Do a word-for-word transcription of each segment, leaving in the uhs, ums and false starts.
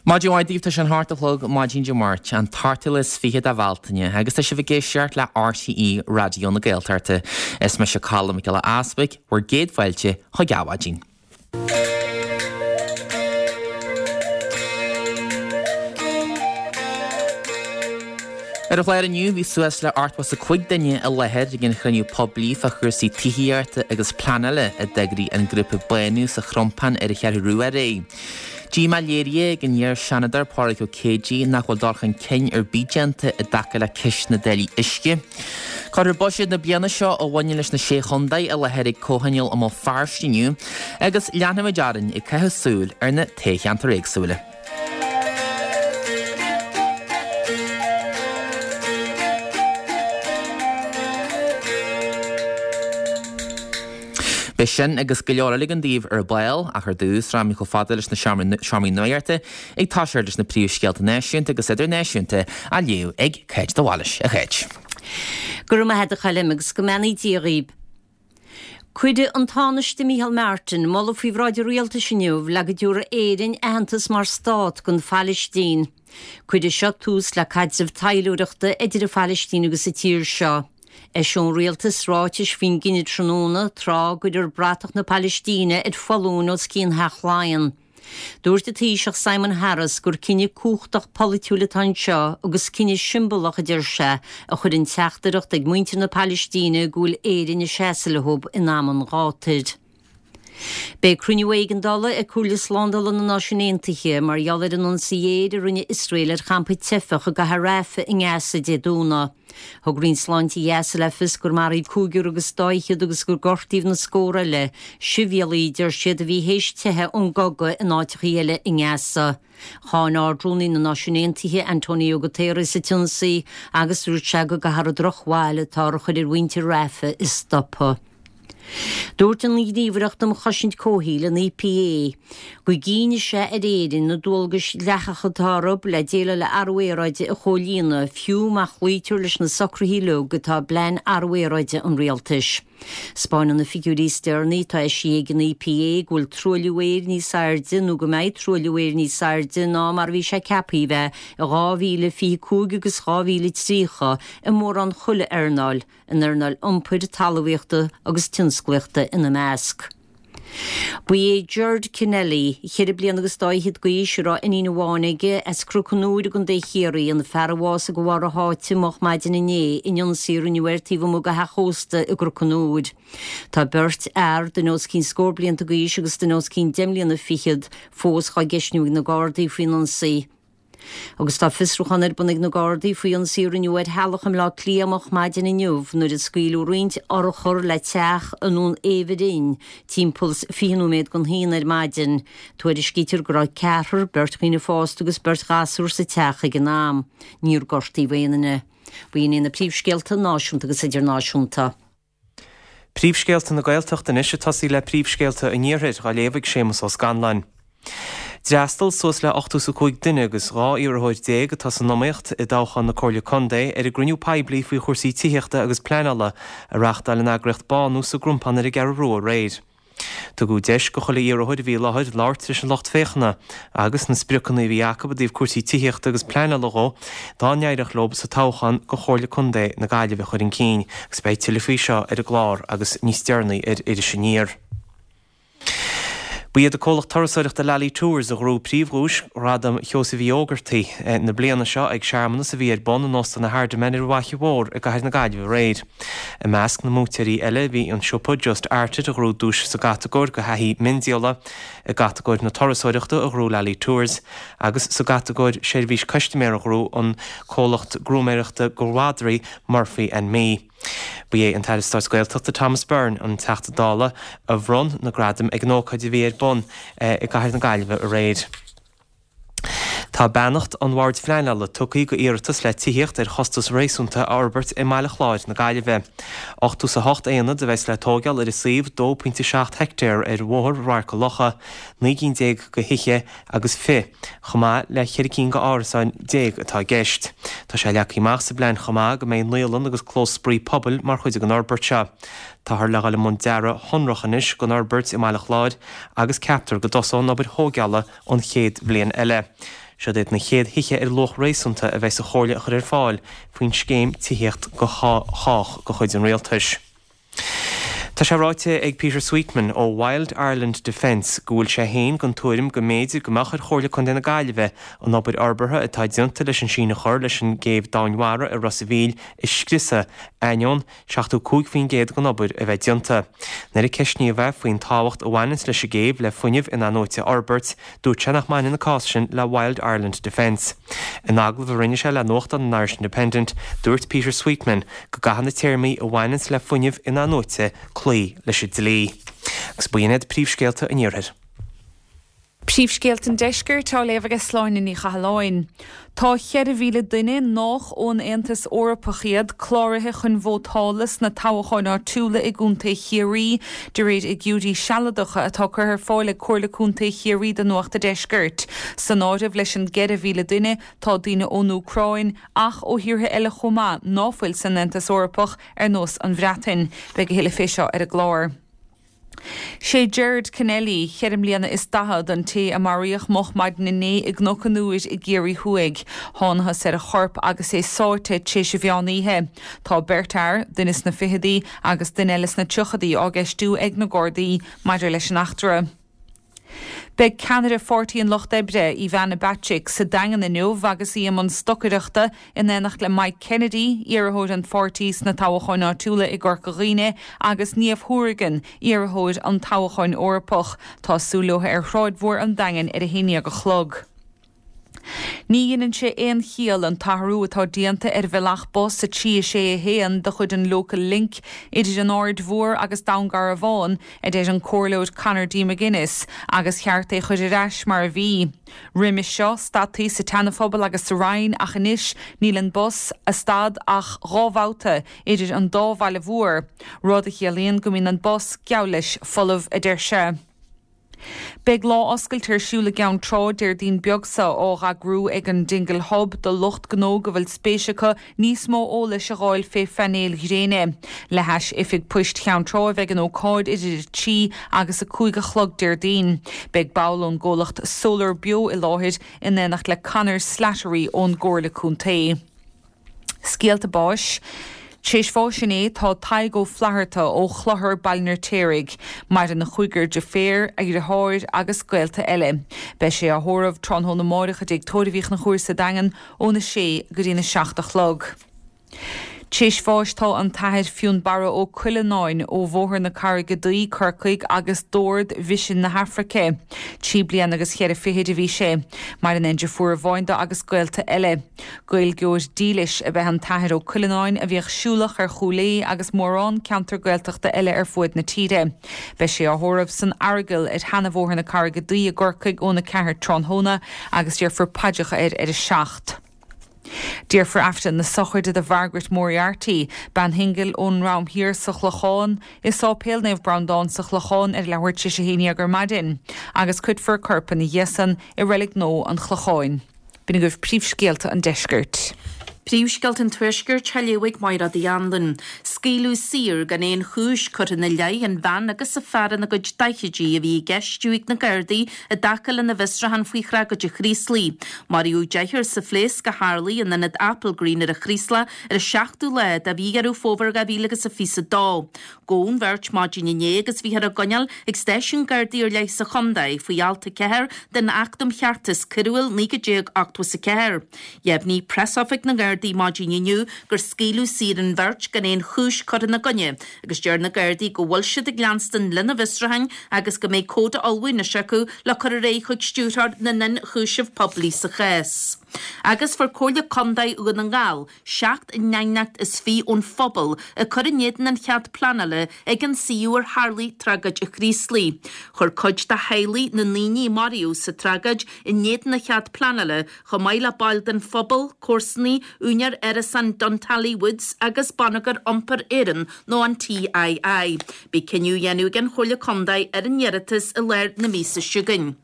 Maidin mhaith daoibh tá sé an hocht a chlog maidin Dé Máirt an t-ochtú lá is fiche de Bhealtaine agus tá sibh ag éisteacht le RTÉ Raidió na Gaeltachta. Is mise Colm Mac Giolla Easpaig, bhur gcéad fáilte chuig Adhmhaidin. Ar an chlár inniu bhí suas le ochtó is a cúig duine i láthair ag an chruinniú poiblí fá chúrsaí tithíochta agus pleanála a d'eagraigh an grúpa Bánú sa Chrompán ar an Cheathrú Rua aréir. Díomá léirithe ag an iar-Seanadóir Pádraig Ó Céidigh nach bhfuil dul chun cinn ar bith déanta i dtaca le ceist na dtáillí uisce. Cuirfear buiséad na bliana seo a bhaineann leis na Sé Chontae i láthair ag Comhthionól i mBéal Feirste inniu agus leanfaimid orainn ag caitheamh súil ar na toghcheantair éagsúla. Beidh sin agus go leor eile againn daoibh ar ball ach ar dtús rachaimid chomh fada leis na seomraí nuachta ag toiseacht leis na príomhscéalta náisiúnta agus idirnáisiúnta á léamh ag Cáit de Bhailís. A Cháit. Go raibh maith agat a Choilm agus go mbeannaí Dia dhaoib. Cuirfidh an Tánaiste Micheál Martin moladh faoi bhráid an rialtais inniu le go dtabharfaidh Éirinn aitheantas mar stát don Phailistín. Cuirfidh seo tús le caidreamh taidhleoireachta idir an Phailistín agus an tír seo. Eiseoidh an rialtas ráitis faoin gcinneadh tráthnóna, tráth a gcuirfear bratach na Pailistíne ar foluain os cionn Theach Laighean. Dúirt an Taoiseach Simon Harris gur cinneadh cumhachtach polaitiúil atá anseo agus cinneadh siombalach, a deir sé, a chuireann teachtaireacht ag muintir na Pailistíne go bhfuil Éirinn ag seasamh leo in am an ghátair. Beidh cruinniú éigeandála ag Comhairle Slándála na Náisiún Aontaithe mar gheall ar an ionsaí aeir a rinne Iosrael ar champa teifeach i gcathair Rafah i nGaza Dé Domhnaigh. Thug Roinn Sláinte Ghaza le fios gur maraíodh cúigear agus dá fhichead agus gur gortaíodh na scórtha eile, sibhialaigh, deir siad, a bhí théis teitheadh ón gcogadh in áiteacha eile i nGaza. Cháin Ard-Rúnaí na Náisiún Aontaithe, Antonio Guterres, an t-ionsaí agus dúirt sé go gcaithfear an drochbhail atáthar a chur ar mhuintir Rafah a stopadh. Dúirt an Ghníomhaireacht um Chosaint Comhshaoil, an EPA, go gcinnfidh sé ar Éirinn na dualgais dhleathacha atá orthu le déileáil le athrú aeráide a chomhlíonadh, fiú má chloítear leis na socruithe uilig atá i bPlean Athrú Aeráide an Rialtais. 'Spáineann na figiúirí is deireanaí atá eisithe ag an EPA go bhfuil truailliú aeir níos airde nó go mbeidh truailliú aeir níos airde ná mar a bhí sé ceaptha a bheith i dhá mhíle fiche cúig agus dhá mhíle tríocha i mórán chuile earnáil, an earnáil iompair, talmhaíochta agus tionsclaíochta ina measc. Ba é Gerard Kennelly, ceithre bliana agus dá fhichead d'aois, a raibh iníon amháin aige, as Cnoc an Iúir i gContae Chiarraí, an fear a bhásaigh de bharr a sháite moch maidin inné in ionsaí a rinneadh air taobh amuigh de theach ósta i gCnoc an Iúir. Tá beirt fhear, duine os cionn scór blianta d'aois agus duine os cionn deich mbliana fichead, fós dhá gceistniú ag na Gardaí faoin ionsaí. Agus tá fiosrúchán ar bun ag na Gardaí faoi ionsaí a rinneadh ar theaghlach i mBleá Cliath moch maidin inniu nuair a scaoileadh roinnt urchar le teach i nDún Éibhir timpeall fiche nóiméad don haon ar maidin. Tuairiscítear go raibh ceathrar, beirt dhaoine fásta agus beirt ghasúr sa teach ag an am. Níor gortaíodh aon duine. B'in iad na príomhscéalta náisiúnta agus idirnáisiúnta. Príomhscéalta na Gaeltachta anois ag tosaí le príomhscéalta an Iarthair, á léamh ag Séamus Ó Scanláin. D'fhreastail suas le ochtó is a cúig duine agus dhá iarrthóir déag atá san iomaíocht i dtoghchán na Comhairle Contae ar an gcruinniú poiblí faoi chúrsaí tithíochta agus pleanála a reáchtáil an eagraíocht Bánú sa gCrompán ar an gCeathrú Rua aréir. Tugadh deis go chuile iarrthóir a bhí i láthair labhairt leis an lucht féachana agus na spriocanna a bhí acu i dtaobh cúrsaí tithíochta agus pleanála dhó dá n-éireodh leo sa toghchán go Chomhairle Contae na Gaillimhe a chur chun cinn agus beidh tuilleadh faoi seo ar an gclár agus níos deireanaí ar Iris Aniar. Ba iad an comhlacht turasóireachta Lally Tours a ghnóthaigh príomhdhuais Ghradam Sheosaimh Uí Ógartaigh na bliana seo ag searmanas a bhí ar bun in Óstán na Hardiman ar an bhFaiche Mhór i gcathair na Gaillimhe aréir. I measc na mbuaiteoirí eile bhí an siopa Just Art It a ghnóthaigh duais sa gcatagóir go thaithí miondíola, i gcatagóir na turasóireachta a ghnóthaigh Lally Tours agus sa gcatagóir seirbhís custaiméara a ghnóthaigh an comhlacht grúmaeireachta go mhadraí Murphy and Me. Ba é an tAire Stáit Gaeltachta Thomas Byrne, an Teachta Dála, a bhronn na gradaim ag an ócáid a bhí ar bun i gcathair na Gaillimhe aréir. Tá beannacht an Bhoird Phleanála tugtha go iarratas le tithíocht ar chostas réasúnta a fhorbairt i mBaile Chláir na Gaillimhe. Ochtó is a hocht aonad a bheas le tóigeáil ar an suíomh dó pointe seacht heictéar ar Bhóthar Radharc a' Locha, naoi gcinn déag go thithe agus fiche, chomh maith le ceithre cinn go árasáin déag atá i gceist. Tá sé leagtha amach sa bplean chomh maith go mbeidh naíolann agus clós spraoi pobail mar chuid den fhorbairt seo. Táthar le dhul i mbun dearadh shonrach anois don fhorbairt i mBaile Chláir agus ceaptar go dtosóidh an obair thóigeála an chéad bhliain eile. Siod iad na chéad thithe ar luach réasúnta a bheas an Chomhairle a chur ar fáil faoin scéim tithíocht go chách de chuid an rialtais. Tá sé ráite ag Peter Sweetman ó Wild Ireland Defence go bhfuil sé féin den tuairim go mb'fhéidir go mbeadh ar Chomhairle Contae na Gaillimhe an obair fhorbartha atá déanta leis an síneadh a chur leis an gcéibh domhainmhara i Ros a' Mhíl a scriosadh ainneoin seachtó cúig faoin gcéad den obair a bheith déanta. Nuair a ceistníodh é faoin tábhacht a bhaineanns leis an gcéibh le fuinneamh in-athnuaite a fhorbairt, dúirt sé nach mbaineann an cás sin le Wild Ireland Defence. In agallamh a rinne sé le nuachtán an Irish Independent, dúirt Peter Sweetman go gcaithfidh na téarmaí a bhaineanns le fuinneamh in-athnuaite cloí leis an dlí. Agus b'in iad príomhscéalta an iarthair. Príomhscéalta an deiscirt á léamh ag Sláine Ní Chathalláin. Tá ceithre mhíle duine nách ón Aontas Eorpach iad cláraithe chun vótála sna toghcháin áitiúla i gContae Chiarraí, de réir fhigiúirí sealadacha atá curtha ar fáil ag Comhairle Contae Chiarraí do Nuacht an Deiscirt. San áireamh leis an gceithre mhíle duine tá daoine ón Úcráin ach ó thíortha eile chomh maith ná fuil san Aontas Eorpach ar nós an Bhreatain. Beidh a thuilleadh fé seo ar an gclár. Sé Gerard Kennelly, ceithre mbliana is daichead, an té a maraíodh moch maidin inné i gCnoc an Iúir i gCiarraí Thuaidh. Thángthas ar a chorp agus é sáite tar éis an mheán oíche. Tá beirt fhear, duine sna fichidí agus duine eile sna tríochaidí á gceistiú ag na Gardaí maidir leis an eachtra. Beidh ceannaire Pháirtí an Lucht Oibre, Ivana Bacik, sa Daingean inniu agus í i mbun stocaireachta in éineacht le Mike Kennedy, iarrthóir an pháirtí sna toghcháin áitiúla i gCorca Dhuibhne, agus Niamh Hourigan, iarrthóir an toghcháin Eorpach. Tá súil leo ar Shráid Mhór an Daingin ar a haon déag a chlog. Ní dheineann sé aon chiall an t-athrú atá déanta ar bhealach bus a trí a sé a haon de chuid an Local Link idir an Aird Mhór agus Dún Garbhán, a deir an Comhairleoir Conor D. McGuinness, agus cheart é chur ar ais mar a bhí. Roimhe seo, stadtaí sa tSeana-Phobal agus sa Rinn ach anois níl an bus a stad ach dhá bhabhta idir an dá bhaile mhór, rud a chiallaíonn go mbíonn an bus geall leis folamh, a deir sé. Beidh lá oscailte ar siúl i gCeann Trá Déardaoin beag seo á eagrú ag an Dingle Hub do lucht gnó go bhfuil spéis acu níos mó eolais a fháil fé phainéil ghréine. Le hais Oifig Poist Cheann Trá a bheidh an ócáid idir a trí agus a cúig a chlog Déardaoin. Beidh ball ón gcomhlacht Solar Beo i láthair in éineacht le Conor Slattery ón gComhairle Contae. Scéalta báis. Tar éis bháis inné tá Tadhg Ó Flatharta ó Chlochar Baile an Fheirtéaraigh. Maireann a chúigear deirféar, a dheartháir agus gaolta eile. Beidh sé á thórramh tráthnóna amáireach i dTigh Tórraimh Uí Chonchúir sa Daingean óna sé go dtína seacht a chlog. Tar éis bháis tá an tAthair Fionnbarra Ó Cuileanáin ó Bhóthar na Carraige Duí, Corcaigh agus d'Ord Mhisean na hAfraice. Trí bliana agus cheithre fichid a bhí sé. Maireann aon deirfiúr amháin dó agus gaolta eile. Gaeilgeoir dílis ab ea an tAthair Ó Cuileanáin a bhíodh siúlach ar Chúil Aodha agus mórán ceantar Gaeltachta eile ar fuaid na tíre. Beidh sé á thórramh san Earagail ar Sheana-Bhóthar na Carraige Duí i gCorcaigh óna ceathair tráthnóna agus déarfar paidreacha air ar a seacht. Déarfar Aifreann na sochraide do Mhargaret Moriarty, bean shingil ón nDroim Thiar sa Chlochán, i Sáipéal Naomh Breandán sa Chlochán ar leathuair tar éis a haon dhéag ar maidin, agus cuirfear a corp ina dhiaidh san i Reilig Nua an Chlocháin. B'in agaibh príomhscéalta an deiscirt. Príomhscéalta an Tuaiscirt á léamh ag Máire Uí Anluain. Scaoileadh saor gan aon chúis curtha ina leith an bhean agus an fear ina gcuid daichidí a bhí á gceistiú ag na Gardaí i dtaca lena bhfiosrúchán faoi thragóid an Chraoslaigh. Maraíodh deichniúr sa phléasc a tharlaigh in ionad Applegreen ar an Chraoslach ar an seachtú lá de mhí Dheireadh Fómhair dhá mhíle agus a fiche a dó. Gabhadh an bheirt maidin inné agus bhíothar á gcoinneáil ag stáisiún Gardaí ar leith sa chontae faoi alt a ceathair den Acht um Cheartas Coiriúil naoi déag ochtó is a ceathair. Dheimhnigh Preasoifig na nGardaí maidin inniu gur scaoileadh saor an bheirt gan aon chúis curtha ina gcoinne agus deir na Gardaí go bhfuil siad ag leanstan lena bhfiosrúcháin agus go mbeidh comhad á ullmhú anois acu le cur ar aghaidh chuig Stiúrthóir na nIonchúiseamh Poiblí sa chás. Agus fuair Comhairle Contae Dhún na nGall seacht n-aighneacht is fiche ón phobal ag cur in éadan an chead pleanála ag an suíomh ar tharlaigh tragóid an Chraoslaigh. Chuir cuid de theaghlaigh na ndaoine a maraíodh sa tragóid in éadan an chead pleanála chomh maith le baill den phobal, comharsanaí, úinéir árasán Duntally Woods agus Bonneagar Iompair Éireann nó an TII. Beidh cinneadh á dhéanamh ag an Chomhairle Contae ar an iarratas i lár na míosa seo chugainn.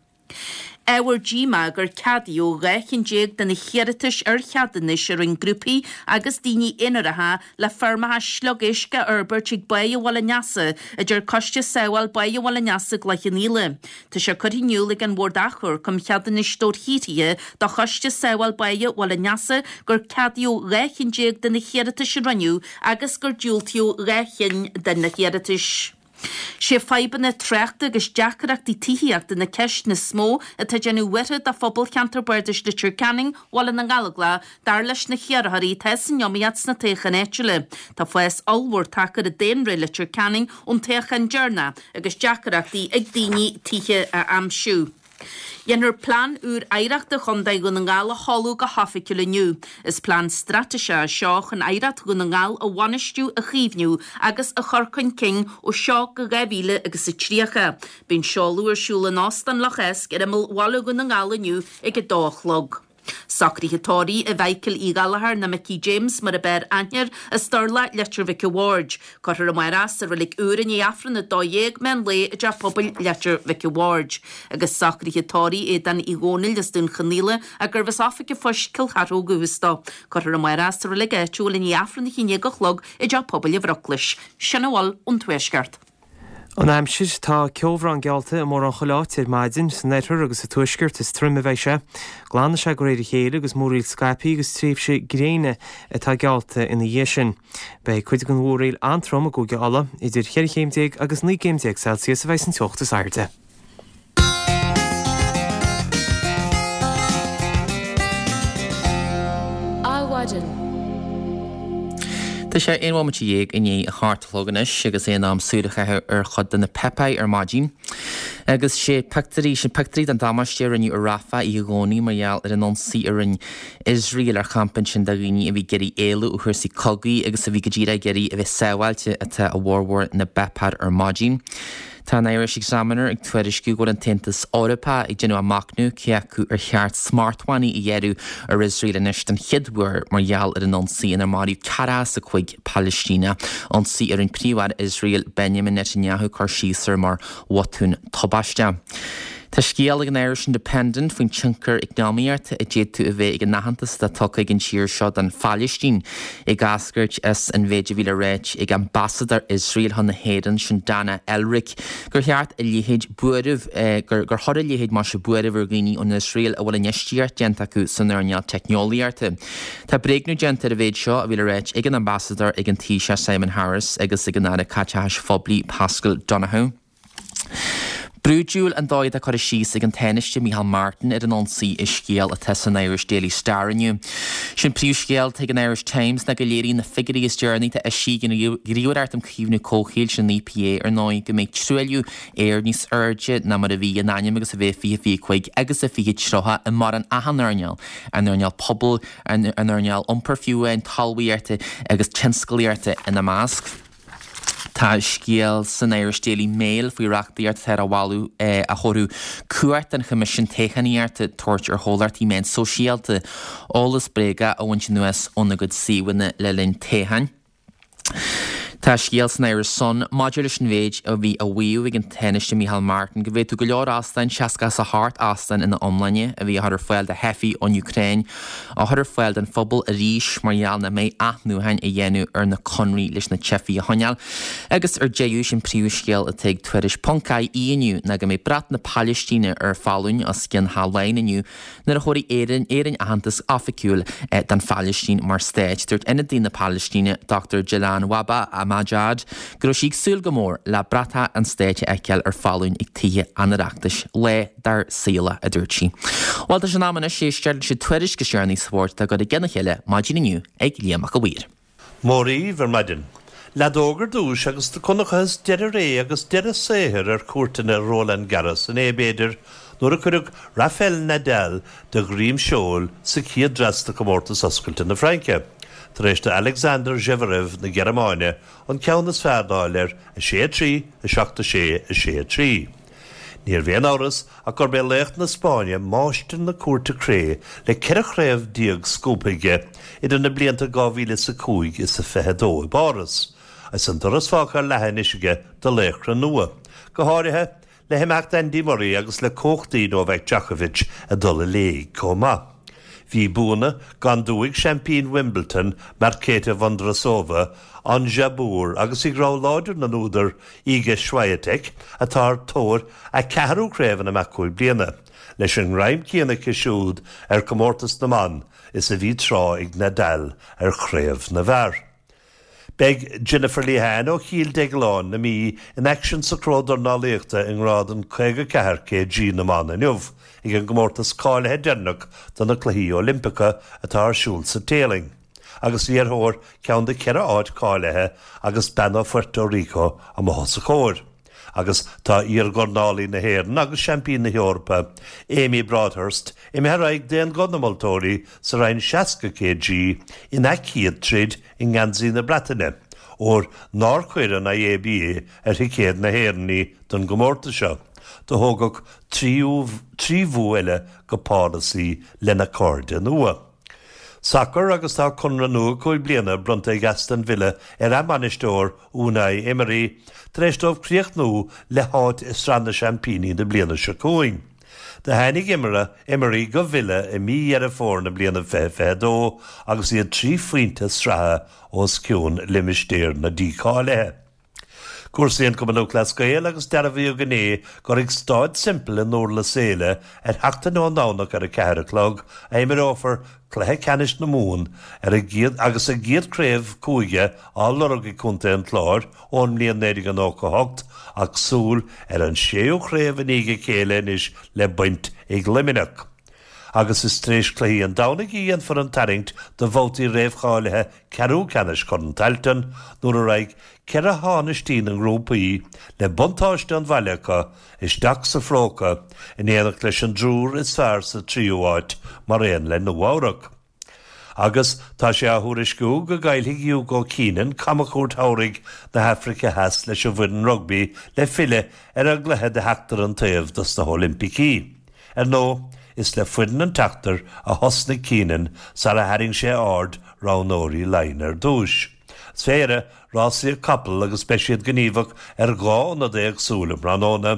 Ábhar díomá gur ceadaíodh dhá cheann déag de na hiarratais ar cheadúnais a rinne grúpaí agus daoine aonaracha le feirmeacha sliogéisc a fhorbairt ag Báighe Bhaile an Easa, a deir Coiste Sábháil Báighe Bhaile an Easa gCloich Cheann Fhaola. Tá sé curtha in iúl ag an Bhord Achomhairc um Cheadúnais Dobharshaothraithe do Choiste Sábháil Báighe Bhaile an Easa gur ceadaíodh dhá cheann déag de na hiarratais a rinneadh agus gur diúltaíodh dhá cheann de na hiarratais. Sé fadhbanna tráchta agus deacrachtaí tithíochta na ceisteanna is mó atá ag déanamh buartha do phobal cheantar bardais Leitir Ceanainn, Bhaile na nGallóglach, dar leis na hiarrthóirí atá san iomaíocht sna toghcháin áitiúla. Tá fás ollmhór tagtha ar dhaonra Leitir Ceanainn ón toghchán deireanach agus deacrachtaí ag daoine tithe a aimsiú. Déanfar Plean úr Oidhreachta Chontae Dhún na nGall a sheoladh go hoifigiúil inniu. Is plean straitéiseach é seo chun oidhreacht Dhún na nGall a bhainistiú, a chaomhnú agus a chur chun cinn ó seo go dhá mhíle agus a tríocha. Beidh an seoladh ar siúl in Óstán Loch Eisc ar imeall bhaile Dhún na nGall inniu ag a dó a chlog. Socruithe tórraimh do Mhichael Uí Ghallchóir nó Micí James mar ab fhearr aithne air as Durlock, Leitir Mhic a' Bhaird. Cuirfear amárach sa Reilig Úr i ndiaidh Aifreann a dó dhéag meán lae i dTeach Pobail Leitir Mhic a' Bhaird. Agus socruithe tórraimh Aodán Uí Dhónaill as Dún Chonaill gurbh as Oifig an Phoist Cill Chartha ó dhúchas dó. Cuirfear amárach sa reilig áitiúil i ndiaidh Aifreann a haon déag a chlog i dTeach Pobail an Bhruclais. Sin a bhfuil ón Tuaisceart. An aimsir, Tá ceobhrán geallta i mórán chuile áit ar maidin, san oirthear agus sa tuaisceart is troime a bheidh sé. Glanfaidh sé de réir a chéile agus múraíl scaipthe agus tréimhse gréine atá geallta ina dhiaidh sin. Beidh cuid den mhúraíl an-trom i gCúige Uladh, idir cheithre chéim déag agus naoi gcéim déag Celsius a bheidh san teocht is airde. Adhmhaidin. Tá sé aon bhomaite dhéag i ndiaidh a hocht a chlog anois agus é in am súil a chaitheamh ar chuid de na páipéir ar maidin. Agus sé pictiúirí, sin pictiúirí den damáiste a rinneadh i Rafah oíche Dhomhnaigh mar gheall ar an ionsaí a rinne Iosrael ar champa ansin de dhaoine a bhí ag iarraidh éalú ó chúrsaí cogaidh agus a bhí go díreach ag iarraidh a bheith sábháilte atá i bhformhór na bpáipéar ar maidin. Tá an Irish Examiner ag tuairisciú go bhfuil an tAontas Eorpach ag déanamh a machnamh cé acu ar cheart smachtbhannaí a ghearradh ar Iosrael anois den chéad uair mar gheall ar an ionsaí inar maraíodh ceathracha is a cúig Palaistíneach, ionsaí a rinne Príomh-Aire Iosrael Benjamin Netanyahu cur síos air mar bhotún tubaisteach. Tá scéal ag an Irish Independent faoin tionchar eacnamaíochta a d'fhéadfadh a bheith ag an aitheantas atá tugtha ag an tír seo don Phalaistín, ag eascairt as an mhéid a bhí le ráit ag ambasadóir Iosrael chun na hÉireann, sin Dana Elric, gur cheart a leithéid buairimh, gur chuir a leithéid maise buaireamh ar dhaoine ón Iosrael a bhfuil infheistíocht déanta acu san earnáil teicneolaíochta. Tá bréagnú déanta ar an mhéid seo a bhí le ráit ag an ambasadóir ag an Taoiseach Simon Harris agus ag an Aire Caiteachais Phoiblí Paschal Donohoe. Brúidiúil an dóigh atá curtha síos ag an Tánaiste Micheál Martin ar an ionsaí i scéal atá san Irish Daily Star inniu. Sin príomhscéal atá ag an Irish Times ná go léiríonn na figiúirí is deireanaí atá eisithe ag an Ghníomhaireacht um Chaomhnú Comhshaoil, sin an EPA, ar ndóigh, go mbeidh truailliú aeir níos airde ná mar a bhí in ainm agus a bheith i fiche fiche cúig agus i fiche tríocha i mórán achan earnáil, an earnáil pobail, an earnáil iompair fiú amháin, talmhaíochta agus tionsclaíochta ina measc. Tá scéal san Irish Daily Mail faoi reachtaíocht atá á mholadh a thabharfadh cumhacht don Choimisiún Toghchánaíochta tabhairt ar chomhlachtaí meán sóisialta eolas bréagach a bhaint anuas óna gcuid suíomhanna le linn toghcháin. Tá scéal san Irish Sun maidir leis an mhéid a bhí á mhaíomh ag an Tánaiste Micheál Martin go bhféadfadh go leor óstán, seasca is a hocht óstán ina iomláine, a bhí á chur ar fáil do theifigh ón Úcráin, á chur ar fáil don phobal arís mar gheall nach mbeidh athnuachan á dhéanamh ar na conraí leis na teifigh a choinneáil. Agus ar deireadh, sin príomhscéal atá ag Tuairisc ponc IE inniu ná go mbeidh brat na Palaistíne ar foluain os cionn Theach Laighean inniu nuair a thabharfaidh Éirinn Éirinn aitheantas oifigiúil don Phalaistín mar stát. Dúirt ionadaí na Palaistíne, Dochtúir Jilan Wahba Majad, go raibh sí ag súil go mór le bratach an stáit a fheiceáil ar foluain ag Tithe an Oireachtais. Lá dár saol, a dúirt sí. Bhuel, tá sé in am anois éisteacht leis an tuairisc is deireanaí spóirt atá curtha i gcionn a chéile maidin inniu ag Liam Mac a' Mhaoir. Mór dhaoibh ar maidin. Leadóg ar dtús agus do chonacthas deireadh ré agus deireadh saothair ar chúirteanna Roland Garros inné, b'fhéidir, nuair a cuireadh Rafael Nadal de dhroim seoil sa chéad dreas de chomórtas Oscailte na Fraince, tar éis do Alexander Zverev na Gearmáine an ceann is fearr d'fháil air, a sé a trí, a seacht a sé, a sé a trí. Níorbh aon amhras ach gurb é laoch na Spáinne, máistir na cúirte cré le ceithre chraobh déag scuabtha aige idir na blianta dhá mhíle is a cúig is a fiche a dó i bPáras, agus an doras fágtha ar leathadh anois aige do laochra nua, go háirithe le himeacht Andy Murray agus le cumhachtaí Novak Djokovic ag dul i léig chomh maith. Bhí buanna gan dua ag seaimpín Wimbledon, Marketa Vondrousova, Ons Jabeur agus ag rogha láidir na n-údar Iga Swiatek atá ar thóir a ceathrú craobh in imeacht cúig bliana, leis an ngreim céanna aici siúd ar chomórtas na mban is a bhí tráth ag Nadal ar chraobh na bhfear. Beidh Jennifer Lehane ó Chill Dhéagláin na Mí in aicsean sa chró dornálaíochta i ngrád caoga ceathair kg na mban inniu ag an gcomórtas cáilithe deireanach do na Cluichí Oilimpeacha atá ar siúl sa Téalainn. Agus í ar thóir ceann de cheithre áit cáilithe agus bean ó Phuerto Rico amuigh os a comhair. Agus tá iardhornálaí na hÉireann agus seaimpín na hEorpa, Amy Broadhurst, imithe ar aghaidh d'aon ghuth na moltóirí sa roinn seasca kg ina céad troid i ngeansaí na Breataine, óir nár chuir an IABA ar thicéad na hÉireann í don gcomórtas seo. Do thógfadh trí bhua eile go Páras í lena cairde nua. Sacar agus tá conradh nua cúig bliana bronnta ag Aston Villa ar a mbainisteoir Unai Emery tar éis dóibh críochnú le háit i Sraith na Seaimpíní na bliana seo chugainn. Do tháinig Emery go Villa i mí Dheireadh Fómhair na bliana fiche fiche dó agus iad trí phointe sraithe os cionn limistéar na dícháilithe. Cúrsaí an Cumann Lúthchleas Gael agus dearbhaíodh inné gur ag Staid Semple i nDurlas Éile ar sheachtain ón nDomhnach ar a ceathair a chlog a imreofar cluiche ceannais na Mumhan ar a gcéad agus a gcéad chraobh cúige á lorg ag Contae an Chláir ón mbliain naoi déag nócha a hocht ach súil ar an séú craobh i ndiaidh a chéile anois le baint ag Luimneach. Agus is tar éis cluichí an Domhnaigh a dhéanfar an tarraingt do bhabhtaí réamhcháilithe ceathrú ceannais Chorn Tailteann nuair a raghaidh ceithre thánaistí na ngrúpaí, le buntáiste an bhaile acu, isteach sa phróca in éineacht leis an dtriúr is fearr sa tríú háit mar aon le Nua-Eabhrac. Agus tá sé á thuairisciú go gcaillfidh Hugo Keenan camchuairt shamhraidh na hAfraice Theas leis an bhfoireann rugbaí le filleadh ar an gcluiche de sheachtar an taobh dos na hOilimpicí. Ar ndóigh, is le foireann an tseachtair a thosnaigh Keenan sara tharraing sé aird roghnóirí Laighean ar dtús. Is féidir rásaíocht capall agus beidh siad gníomhach ar dhá ionad éagsúil um thráthnóna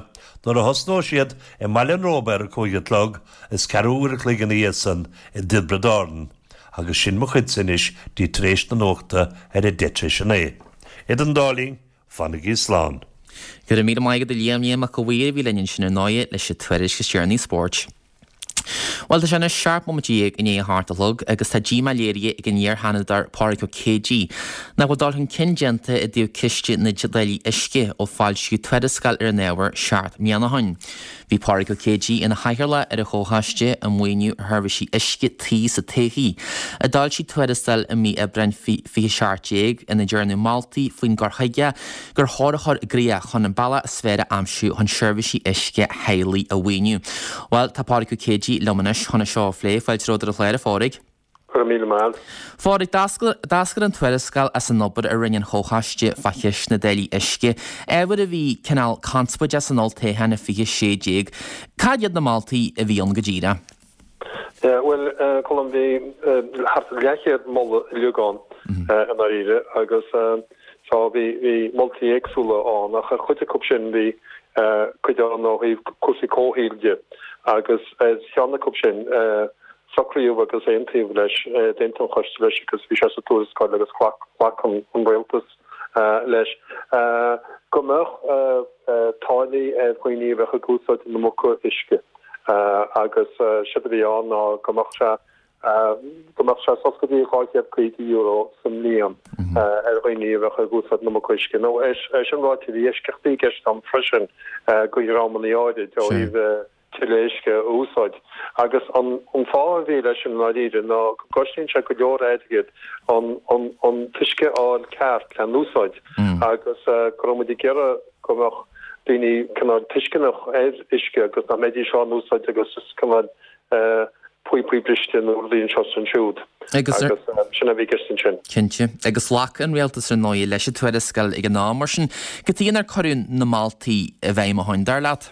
nuair a thosnóidh siad i mBaile an Róba ar a cúig a chlog is ceathrú uair a chloig ina dhiaidh san i dTiobraid Árann. Agus sin mo chuidse anois dtí tar éis na nuachta ar a deich tar éis a naoi. Idir an dá linn, fanaigí slán. Go raibh míle maith agat a Liam, Liam Mac a' Mhaoir a bhí linn ansin ar ndóigh leis an tuairisc is deireanaí spóirt. Bhuel, tá sé anois seacht mbomaite dhéag i ndiaidh a hocht a chlog agus tá díomá léirithe ag an iar-Sheanadóir Pádraig Ó Céidigh nach bhfuil dul chun cinn déanta i dtaobh ciste na dtáillí uisce ó foilsíodh tuarascáil ar an ábhar seacht mbliana ó shin. Bhí Pádraig Ó Céidigh ina chathaoirleach ar an Chomhchoiste um Maoiniú Sheirbhísí Uisce Tí sa Todhchaí, a d'fhoilsigh tuarascáil i mí Aibreáin fiche seacht déag ina ndearnadh moltaí faoin gcur chuige gur chóir a chur i gcrích chun an bealach is fearr a aimsiú chun seirbhísí uisce theaghlaigh a mhaoiniú. Bhuel, tá Pádraig Ó Céidigh liom anois chun é seo a phlé. Fáilte romhat ar an chlár, a Phádraig. Go raibh míle maith. Phádraig, d'eascair an tuarascáil as an obair a rinne an Chomhchoiste fá cheist na dtáillí uisce, ábhar a bhí cineál conspóideach san olltoghchán i fiche sé déag. Cad iad na moltaí a bhí ann go díreach? Bhuel, Colm, bhí thart ar leathchéad moladh uilig ann i ndáiríre agus so bhí bhí moltaí éagsúla ann ach ar chuid acu sin bhí cuid ann ó thaobh cúrsaí comhshaoil de agus ar cheann acu sin Socraíodh agus aontaíodh leis, d'aontaigh an Coiste leis agus bhí sé sa tuarascáil agus ghlac an Rialtas leis, go mbeadh táillí ar dhaoine a bheadh ag úsáid an iomarca uisce agus séard a bhí ann ná go mbeadh sé go mbeadh sé suas go dtí dhá chéad caoga euro sa mbliain ar dhaoine a bheadh ag úsáid an iomarca uisce. Nó é sin ráite, bhí eisceachtaí i gceist ann freisin do dhreamanna áirid ó thaobh tuilleadh uisce a úsáid. Agus an fáth a bhí leis sin i ndáiríre ná go gcosnaíonn sé go leor airgid an an t-uisce a fháil ceart lena úsáid agus go raibh muid ag iarraidh go mbeadh daoine cineál tuisceanach ar uisce agus nach mbeidís á n-úsáid agus is cineál píopaí briste nó rudaí anseo is ansiúd. Agus sin a bhí i gceist ansin. Cinnte. Agus ghlac an rialtas ar ndóigh leis an tuarascáil ag an am. Mar sin, cad chuige nár cuireadh na moltaí i bhfeidhm ó shin, dar leat?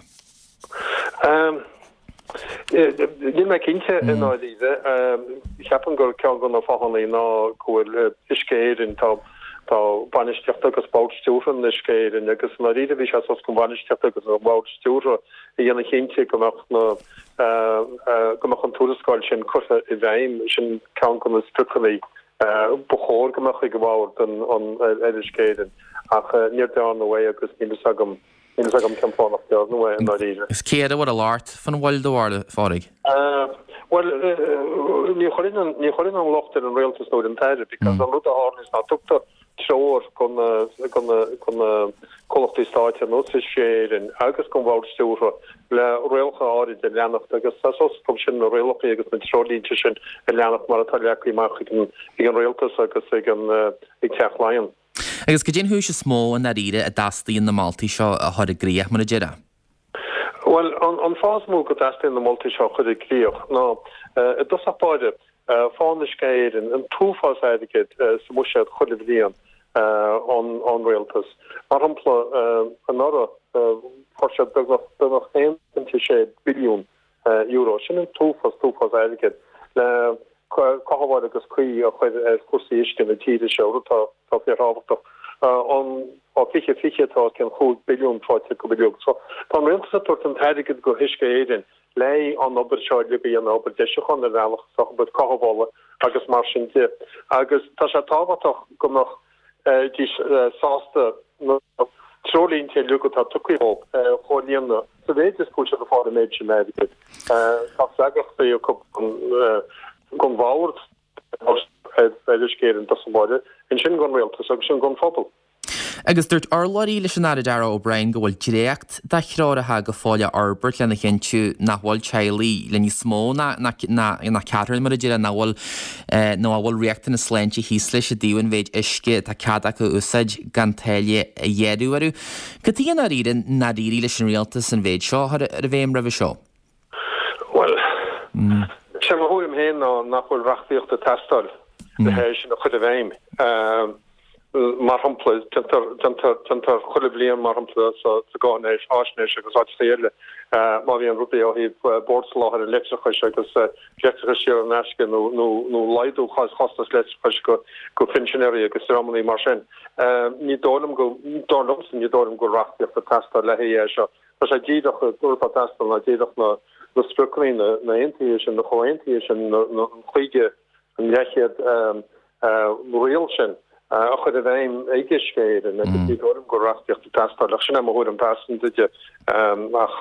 Níl mé cinnte i ndáiríre. Ceapaim gur ceann de na fáthanna ná go bhfuil Uisce Éireann, tá Tá bainistíocht agus bord stiúrtha in Uisce Éireann agus i ndáiríre bhí sé suas don bhainistíocht agus an bhord stiúrtha a dhéanamh cinnte go mbeadh na go mbeadh an tuarascáil sin curtha i bhfeidhm. Sin ceann de na spriocanna ba chóir go mbeadh ag an bhord ar Uisce Éireann ach níor dearnadh é agus níl fhios agam Níl fhios agam cén fáth nach ndearnadh é i ndáiríre. Is céard a bhfuil ag labhairt fan bhfuil do bharúil, a Phádraig? Bhuel, ní chuirfinn ní chuirfinn an locht ar an rialtas nó ar an tAire because an rud a tharlaíonns ná tugtar treoir go na go na go na comhlachtaí stáit ar nós Uisce Éireann agus don bhord stiúrtha le rialacha áirid a leanacht agus tá suas acu sin na rialacha agus na treoirlínte sin a leanacht mar atá leagtha amach ag an ag an rialtas agus ag an ag Teach Laighean. Agus cad é an chúis is mó i ndáiríre a dteastaíonn na moltaí seo a chur i gcrích, mar a déarfá? Bhuel, an fáth is mó go dteastaíonn na moltaí seo a chur i gcrích ná, i dtosach báire, faigheann Uisce Éireann an t-uafás airgid sa mbuiséad chuile bhliain ón rialtas. Mar shampla, anuraidh, fuair siad beagnach beagnach aon phointe sé billiún euro. Sin an t-uafás, t-uafás airgid le cothabháil agus caoi a chur ar chúrsaí uisce na tíre seo, rud atá fíorthábhachtach. Ó fiche fiche tá os cionn chúig billiún faighte acu uilig. So tá an rialtas ag tabhairt an t-airgead go hUisce Éireann le an obair seo uilig a dhéanamh, obair deisiúcháin ar bhealach, is obair cothabhála agus mar sin de. Agus tá sé tábhachtach go mbeadh dís sásta na treoirlínte uilig atá tugtha dóibh a chomhlíonadh sa mhéid is go bhfuil siad ag fáil an méid sin airgid. Tá freagrachtaí acu don bhord ar Uisce Éireann i dtosach báire, ansin don rialtas agus ansin don phobal. Agus dúirt urlabhraí leis an Aire Darragh O'Brien go bhfuil dréacht de threoracha go fóill á fhorbairt lena chinntiú nach bhfuil teaghlaigh le níos mó ná ná ceathrar, mar a déarfá, nach bhfuil nó a bhfuil riachtanas sláinte thíos leis i dtaobh an mhéid uisce atá cead acu a úsáid gan táille a ghearradh orthu. Cad chuige i ndáiríre nár éirigh leis an rialtas an mhéid seo a chur i bhfeidhm roimhe seo? Bhuel, sé mo thuairim féin ná nach bhfuil reachtaíocht ag teastáil le hé sin a chur i bhfeidhm. Mar shampla, déantar, déantar, déantar chuile bhliain, mar shampla, sa, sa gcáinaisnéis agus áiteacha eile, má bhíonn rudaí ó thaobh Bord Soláthair an Leictreachais agus leictreachas saor in aisce nó, nó, nó laghdú chostas leictreachais go, go pinsinéirí agus dreamanna mar sin. Ní dóigh liom go, dar liomsa, ní dóigh liom go bhfuil reachtaíocht ag teastáil le haghaidh é seo. Tá sé díreach, an rud atá ag teastáil ná díreach na, na spriocanna, na, na aontuithe sin, na comhaontuithe sin, na, na, an chúig, an leathchéad riail sin a chur i bhfeidhm ag Uisce Éireann agus ní dóigh liom go bhfuil reachtaíocht ag teastáil ach sin é mo thuairim pearsanta de ach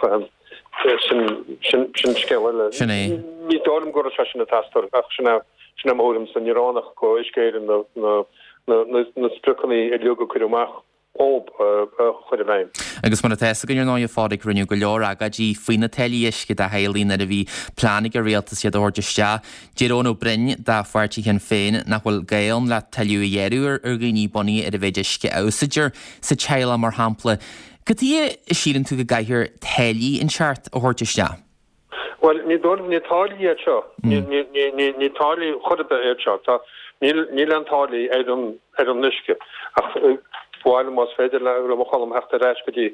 sin sin sin scéal eile. Sin é. Ní dóigh liom go raibh sé sin ag teastáil ach sin é sin é mo thuairimse ní ránach go Uisce Éireann na na na na spriocanna uilig a cuireadh amach dhóibh a chur i bhfeidhm. Agus mar atá fhios againn ar ndóigh, a Phádraig, rinneadh go leor agóidí faoi na táillí uisce do theaghlaigh nuair a bhí plean ag an rialtas iad a thabhairt isteach. Deir Eoin Ó Broin de pháirtí Shinn Féin nach bhfuil gá ann le toilleadh a ghearradh ar dhaoine bunaithe ar an mhéid uisce a úsáidtear sa teaghlach mar shampla. Cad chuige a síleann tú go gcaithfear táillí inteacht a thabhairt isteach? Bhuel, ní dóigh liom, ní táillí iad seo. Ní, ní, ní, ní, ní táillí chor ar bith iad seo. Tá, níl, níl aon táillí ar an, ar an uisce. Ach ba mhaith liom, más féidir liom, a Cholm, theacht ar ais go dtí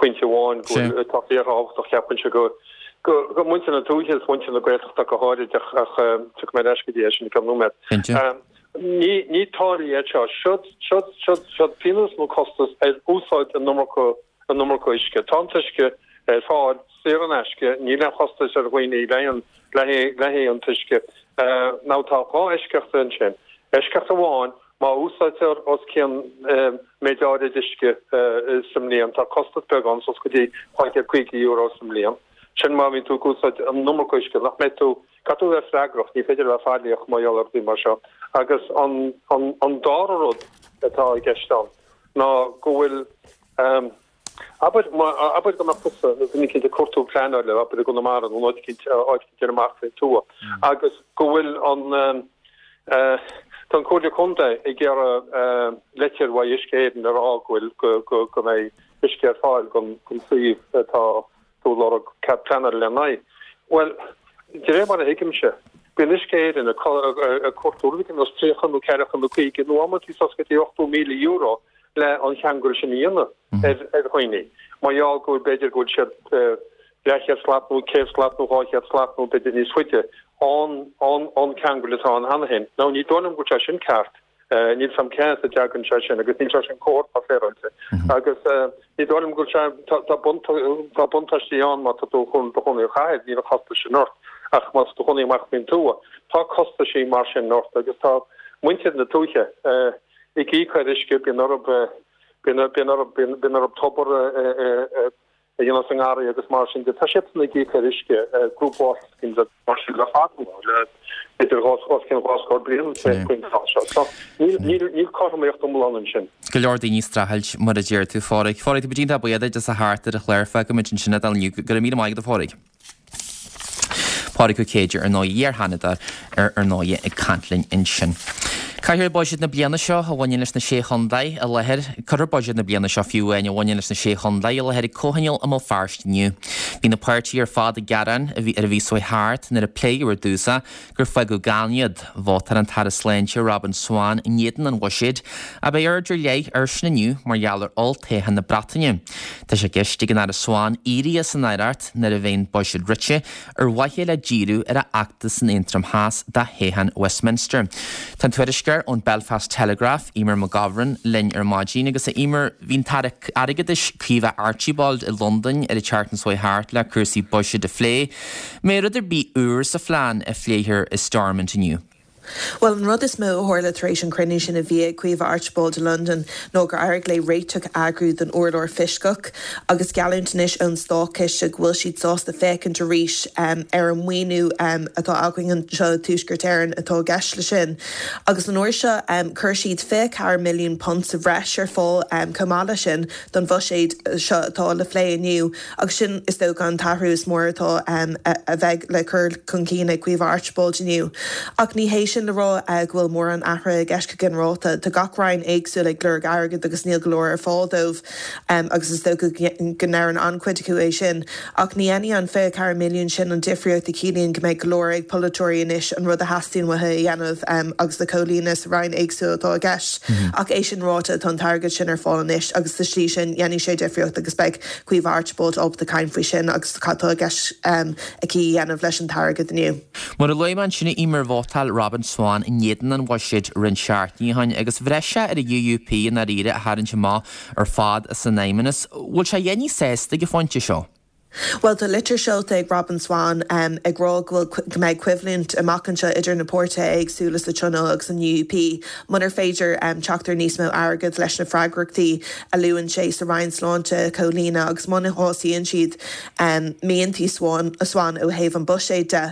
pointe amháin go bhfuil, atá fíorthábhachtach, cheapfainnse, go, go, go muintir na tuaithe is muintir na Gaeltachta go háirid ach, ach tiocfaidh mé ar ais go dtí é sin i gceann nóiméad. Cinnte. Ní, ní táillí iad seo. Siod, siod, siod, siod pionós nó costas ar úsáid an iomarca, an iomarca uisce. Tá an t-uisce ar fáil saor in aisce, níl aon chostas ar dhaoine le haghaidh an t-uisce. Now tá dhá eisceacht ansin. Eisceacht amháin, má úsáidtear os cionn méid áirid uisce sa mbliain, tá costas beag ann, suas go dtí dhá chéad caoga euro sa mbliain. Sin má bhíonn tú ag úsáid an iomarca uisce, nach mbeidh tú, caithfidh tú a bheith freagrach, ní féidir a bheith faillíoch mar gheall ar rudaí mar seo. Agus an dara rud atá i gceist ann ná go bhfuil, Abair, abair go mbeadh tusa nó duine eicínt ag cuartú pleanála, abair i gConamara nó in áit eicínt, áit eicínt ar amach faoin tuath, agus go bhfuil an, tá an Comhairle Contae ag iarraidh leitir uaidh Uisce Éireann a rá go bhfuil, go, go, go mbeidh uisce ar fáil don, don suíomh atá tú ag lorg cead pleanála lena aghaidh. Bhuel, de réir mar a thuigimse, bíonn Uisce Éireann ag, ag cuartú rud ar nós tríocha nó ceathracha nó caoga nó amantaí suas go dtí ochtó míle euro le an cheangal sin a dhéanamh ar dhaoine, mar gheall go bhfuil, b'fhéidir go bhfuil siad leathchéad slat nó céad slat nó dhá chéad slat nó b'fhéidir níos faide ón ón ceangal atá ann cheana féin. Now ní dóigh liom go bhfuil sé sin ceart Níl 's a'm cén as a dtagann sé sin agus níl sé sin cóir tá féaráilte. Agus ní dóigh liom go bhfuil sé tá tá buntáistí ann má tá tú chun do chónaí i gcathair, níl an costas sin ort ach má tá tú chónaí amach faoin tuath, tá costaisí mar sin ort agus tá muintir na tuaithe ag íoc ar uisce, bíonn orthu bíonn bíonn orthu bíonn orthu tobar a a dhéanamh sa ngarraí agus mar sin de. Tá siadsan ag íoc ar uisce, group water schemes agus mar sin le fada le idir dhá os cionn dhá scór bliain faoin tráth seo. So níl níl níl cothromaíocht iomlán ansin. Go leor daoine ag streachailt mar a deir tú, a Phádraig. Phádraig, tá muid iontach buíoch duit as a theacht ar an chlár. Fágfaimid ansin é inniu. Go raibh míle maith agat, a Phádraig. Pádraig Ó Céide ar ndóigh, iar-Sheanadóir ar ndóigh ag caint linn ansin. Cuirfear buiséad na bliana seo a bhaineann leis na Sé Chontae i láthair Cuirfear buiséad na bliana seo fiú amháin a bhaineann leis na Sé Chontae i láthair ag comhthionól i mBéal Feirste inniu. Bhí na páirtithe ar fad ag gearán a bhí ar an mhí seo thart nuair a pléadh ar dtús é gur fágadh gann iad. Vótáil an tAire Sláinte Robin Swann in éadan an bhuiséid ach beidh aird ar leith air sin inniu mar gheall ar olltoghchán na Breataine. Tá sé i gceist ag an Aire Swann éirí as an aireacht nuair a bheidh an buiséad rite ar mhaithe le díriú ar a fheachtas in Aontroim Theas do thoghchán Westminster. Tá an tuairisceoir ón Belfast Telegraph, Eimear McGovern, linn ar maidin agus a Eimear, bhí an tAire Airgeadais Caoimhe Archibald i Londain ar an tseachtain seo thart le cúrsaí buiséid a phlé. An mbeidh rud ar bith úr sa phlean a phléifear i Stormont inniu. Bhuel, an rud is mó a tharla tar éis an cruinniú sin a bhí ag Caoimhe Archibald i Londain ná gur éirigh léi réiteach a eagrú don urlár fioscach agus geallúint anois ón Státchiste go bhfuil siad sásta féachaint arís ar an maoiniú atá againn anseo i Tuaisceart Éireann atá i gceist leis sin. Agus an uair seo chuir siad fiche ceathair milliún punt sa bhreis ar fáil chomh maith leis sin don bhuiséad seo atá le phlé inniu agus sin is dócha an t-athrú is mór atá a bheidh le cur chun cinn ag Caoimhe Archibald inniu. Ach ní hé sin le rá go bhfuil mórán athraithe i gceist go ginearálta. Tá gach roinn éagsúil ag lorg airgid agus níl go leor ar fáil dóibh agus is dócha go ndeireann an-chuid acu é sin. Ach ní dhéanfaidh an fiche ceathair milliún sin an difríocht a chiallaíonn go mbeidh go leor ag polaiteoirí anois an rud a theastaíonn uathu a dhéanamh agus le comhlíonadh sa roinn éagsúil atá i gceist. Ach é sin ráite, tá an t-airgead sin ar fáil anois agus sa slí sin dhéanfaidh sé difríocht agus beidh Caoimhe Archibald ábalta caint faoi sin agus cad tá i gceist aici a dhéanamh leis an t-airgead inniu. Mar a luaigh mé ansin a Eimear vótáil Robin Swann in éadan an bhuiséid roinnt seachtainí ó shin agus bhraith sé ar an UUP i ndáiríre a tharraingt amach ar fad as an fheidhmeannas. Bhfuil sé a dhéanamh sásta ag an phointe seo? Bhuel, tá litir seolta ag Robin Swann ag rá go bhfuil go mbeidh coimhlint amach anseo idir na páirtithe éagsúla sa Tionól agus an UUP munar féidir teacht ar níos mó airgid leis na freagrachtaí a luann sé sa Roinn Sláinte a chomhlíonadh agus muna shásaíonn siad miantaí Swann ó thaobh an buiséid de.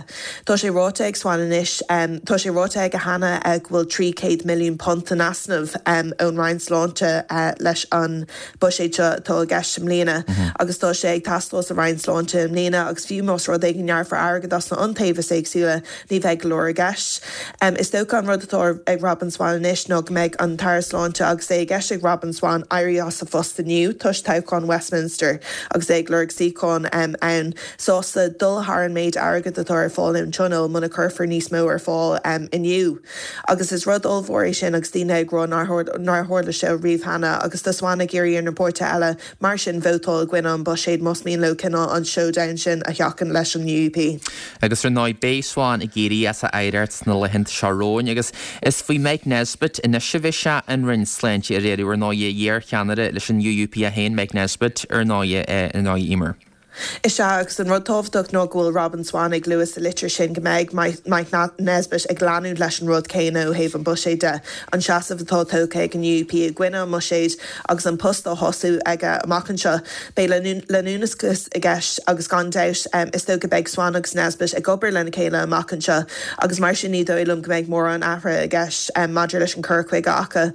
Tá sé ráite ag Swann anois, tá sé ráite aige cheana go bhfuil trí chéad milliún punt in easnamh ón Roinn Sláinte leis an buiséad seo atá i gceist i mbliana agus tá sé ag teastáil sa Roinn Sláinte i mbliana agus fiú más rud é go ngearrfar airgead as na hiontaobhais éagsúla, ní bheidh go leor i gceist. Is dócha an rud atá ag Robin Swann anois ná go mbeidh an tAire Sláinte agus é i gceist ag Robin Swann éirí as a phost inniu toisc toghchán Westminster agus é ag lorg suíochán ann, sásta dul thar an méid airgid atá ar fáil ón Tionól muna cuirfear níos mó ar fáil inniu. Agus is rud ollmhór é sin agus daoine ag rá nár tharla sé riamh cheana agus tá Swann ag iarraidh ar na páirtithe eile mar sin vótáil i gcoinne an buiséid más mian leo cineál an showdown sin a sheachaint leis an UUP. Agus ar ndóigh beidh Swann ag éirí as a aireacht sna laethanta seo romhainn agus is faoi Mike Nesbitt anois a bheidh sé an Roinn Sláinte a riaradh ar ndóigh, iar-cheannaire leis an UUP é féin, Mike Nesbitt, ar ndóigh, ar ndóigh Eimear. Is ea, agus an rud tábhachtach ná go bhfuil Robin Swann ag lua sa litir sin go mbeidh Mike Nesbitt ag leanúint leis an rud céanna ó thaobh an buiséid de, an seasamh atá tógtha ag an UUP i gcoinne an mbuiséid agus an post á thosú aige amach anseo. Beidh leanúnachas i gceist agus gan dabht is dócha beidh Swann agus Nesbitt ag obair lena chéile amach anseo agus mar sin ní dóigh liom go mbeidh mórán athraithe i gceist maidir leis an cur chuige acu.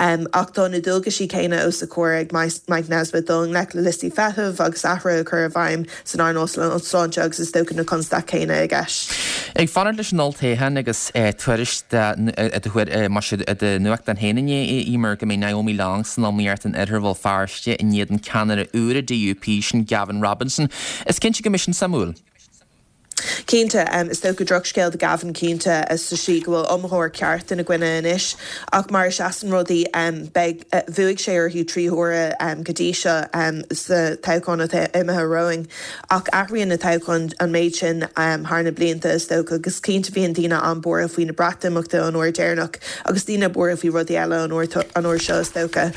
Ach tá na dualgaisí céanna os a chomhair ag Mike Nesbitt dul i ngleic le liostaí feithimh agus athruithe a chur i bhfeidhm san earnáil sláinte agus is dócha na constaicí céanna i gceist. Ag fanacht leis an olltoghchán agus tuairisc i do nuachtán féin inné, a Eimear, go mbeidh Naomi Long san iomaíocht in oirthear Bhéal Feirste in éadan ceannaire úr an DUP, sin Gavin Robinson. Is cinnte go mbeidh sin suimiúil. Cinnte, is dócha drochscéal do Gavin cinnte sa slí go bhfuil iomaitheoir ceart ina gcoinne anois ach mar a seasann rudaí beidh bhuaigh sé orthu trí huaire go dtí seo sa toghchán atá imithe romhainn ach athraíonn na toghcháin an méid sin thar na blianta is dócha agus cinnte bhíonn daoine an-bhuartha faoi na Breatimeachta an uair deireanach agus daoine buartha faoi rudaí eile an uair seo is dócha.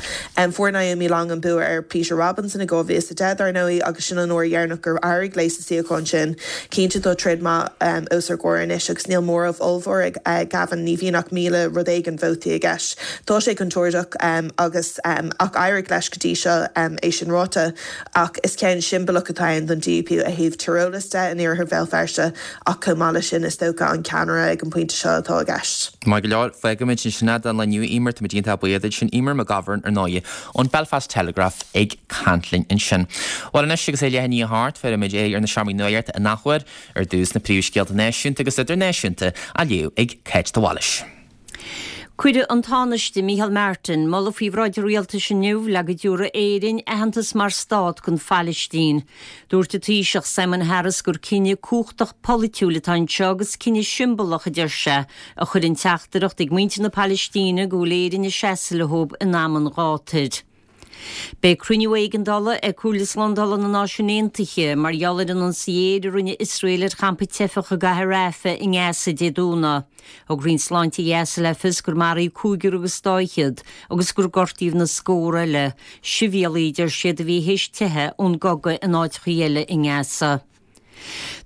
Fuair Naomi Long an bua ar Peter Robinson i dhá mhíle is a deich dar ndóigh agus sin an uair dheireanach gur éirigh léi sa suíochán sin. Cinnte tá troid maith os ár gcomhair anois agus níl móramh ollmhór ag Gavin, ní bhíonn ach míle rud éigin vótaí i gceist. Tá sé contúirteach agus ach éirigh leis go dtí seo é sin ráite ach is ceann siombalach atá ann don DUP ó thaobh tíreolais de in iarthar Bhéal Feirste ach chomh maith leis sin is dócha an ceannaire ag an bpointe seo atá i gceist. Maith go leor, fágfaimid ansin é don lá inniu, Eimear, táimid iontach buíoch duit sin Eimear McGovern ar ndóigh ón Belfast Telegraph ag caint linn ansin. Bhuel anois agus é leath i ndiaidh a hocht, bhéarfaimid aghaidh ar na seomraí nuachta in athuair, ar dtús na príomhscéalta náisiúnta agus idirnáisiúnta á léamh ag Cáit de Bhailís. Cuireadh an Tánaiste Micheál Martin moladh faoi bhráid an rialtais inniu le go dtabharfaidh Éirinn aitheantas mar stát don Phailistín. Dúirt an Taoiseach Simon Harris gur cinneadh cumhachtach polaitiúil atá anseo agus cinneadh siombalach, a deir sé, a chuireann teachtaireacht ag muintir na Palaistíne go bhfuil Éirinn ag seasamh leo in am an ghátair. Beidh cruinniú éigeandála ag Comhairle Slándála na Náisiún Aontaithe mar gheall ar an ionsaí aeir a rinne Iosrael ar champa teifeach i gcathair Rafah i nGaza Dé Domhnaigh. Thug Roinn Sláinte Ghaza le fios gur maraíodh cúigear agus dá fhichead agus gur gortaíodh na scórtha eile, sibhialaigh a deir siad a bhí théis teitheadh ón gcogadh in áiteacha eile i nGaza.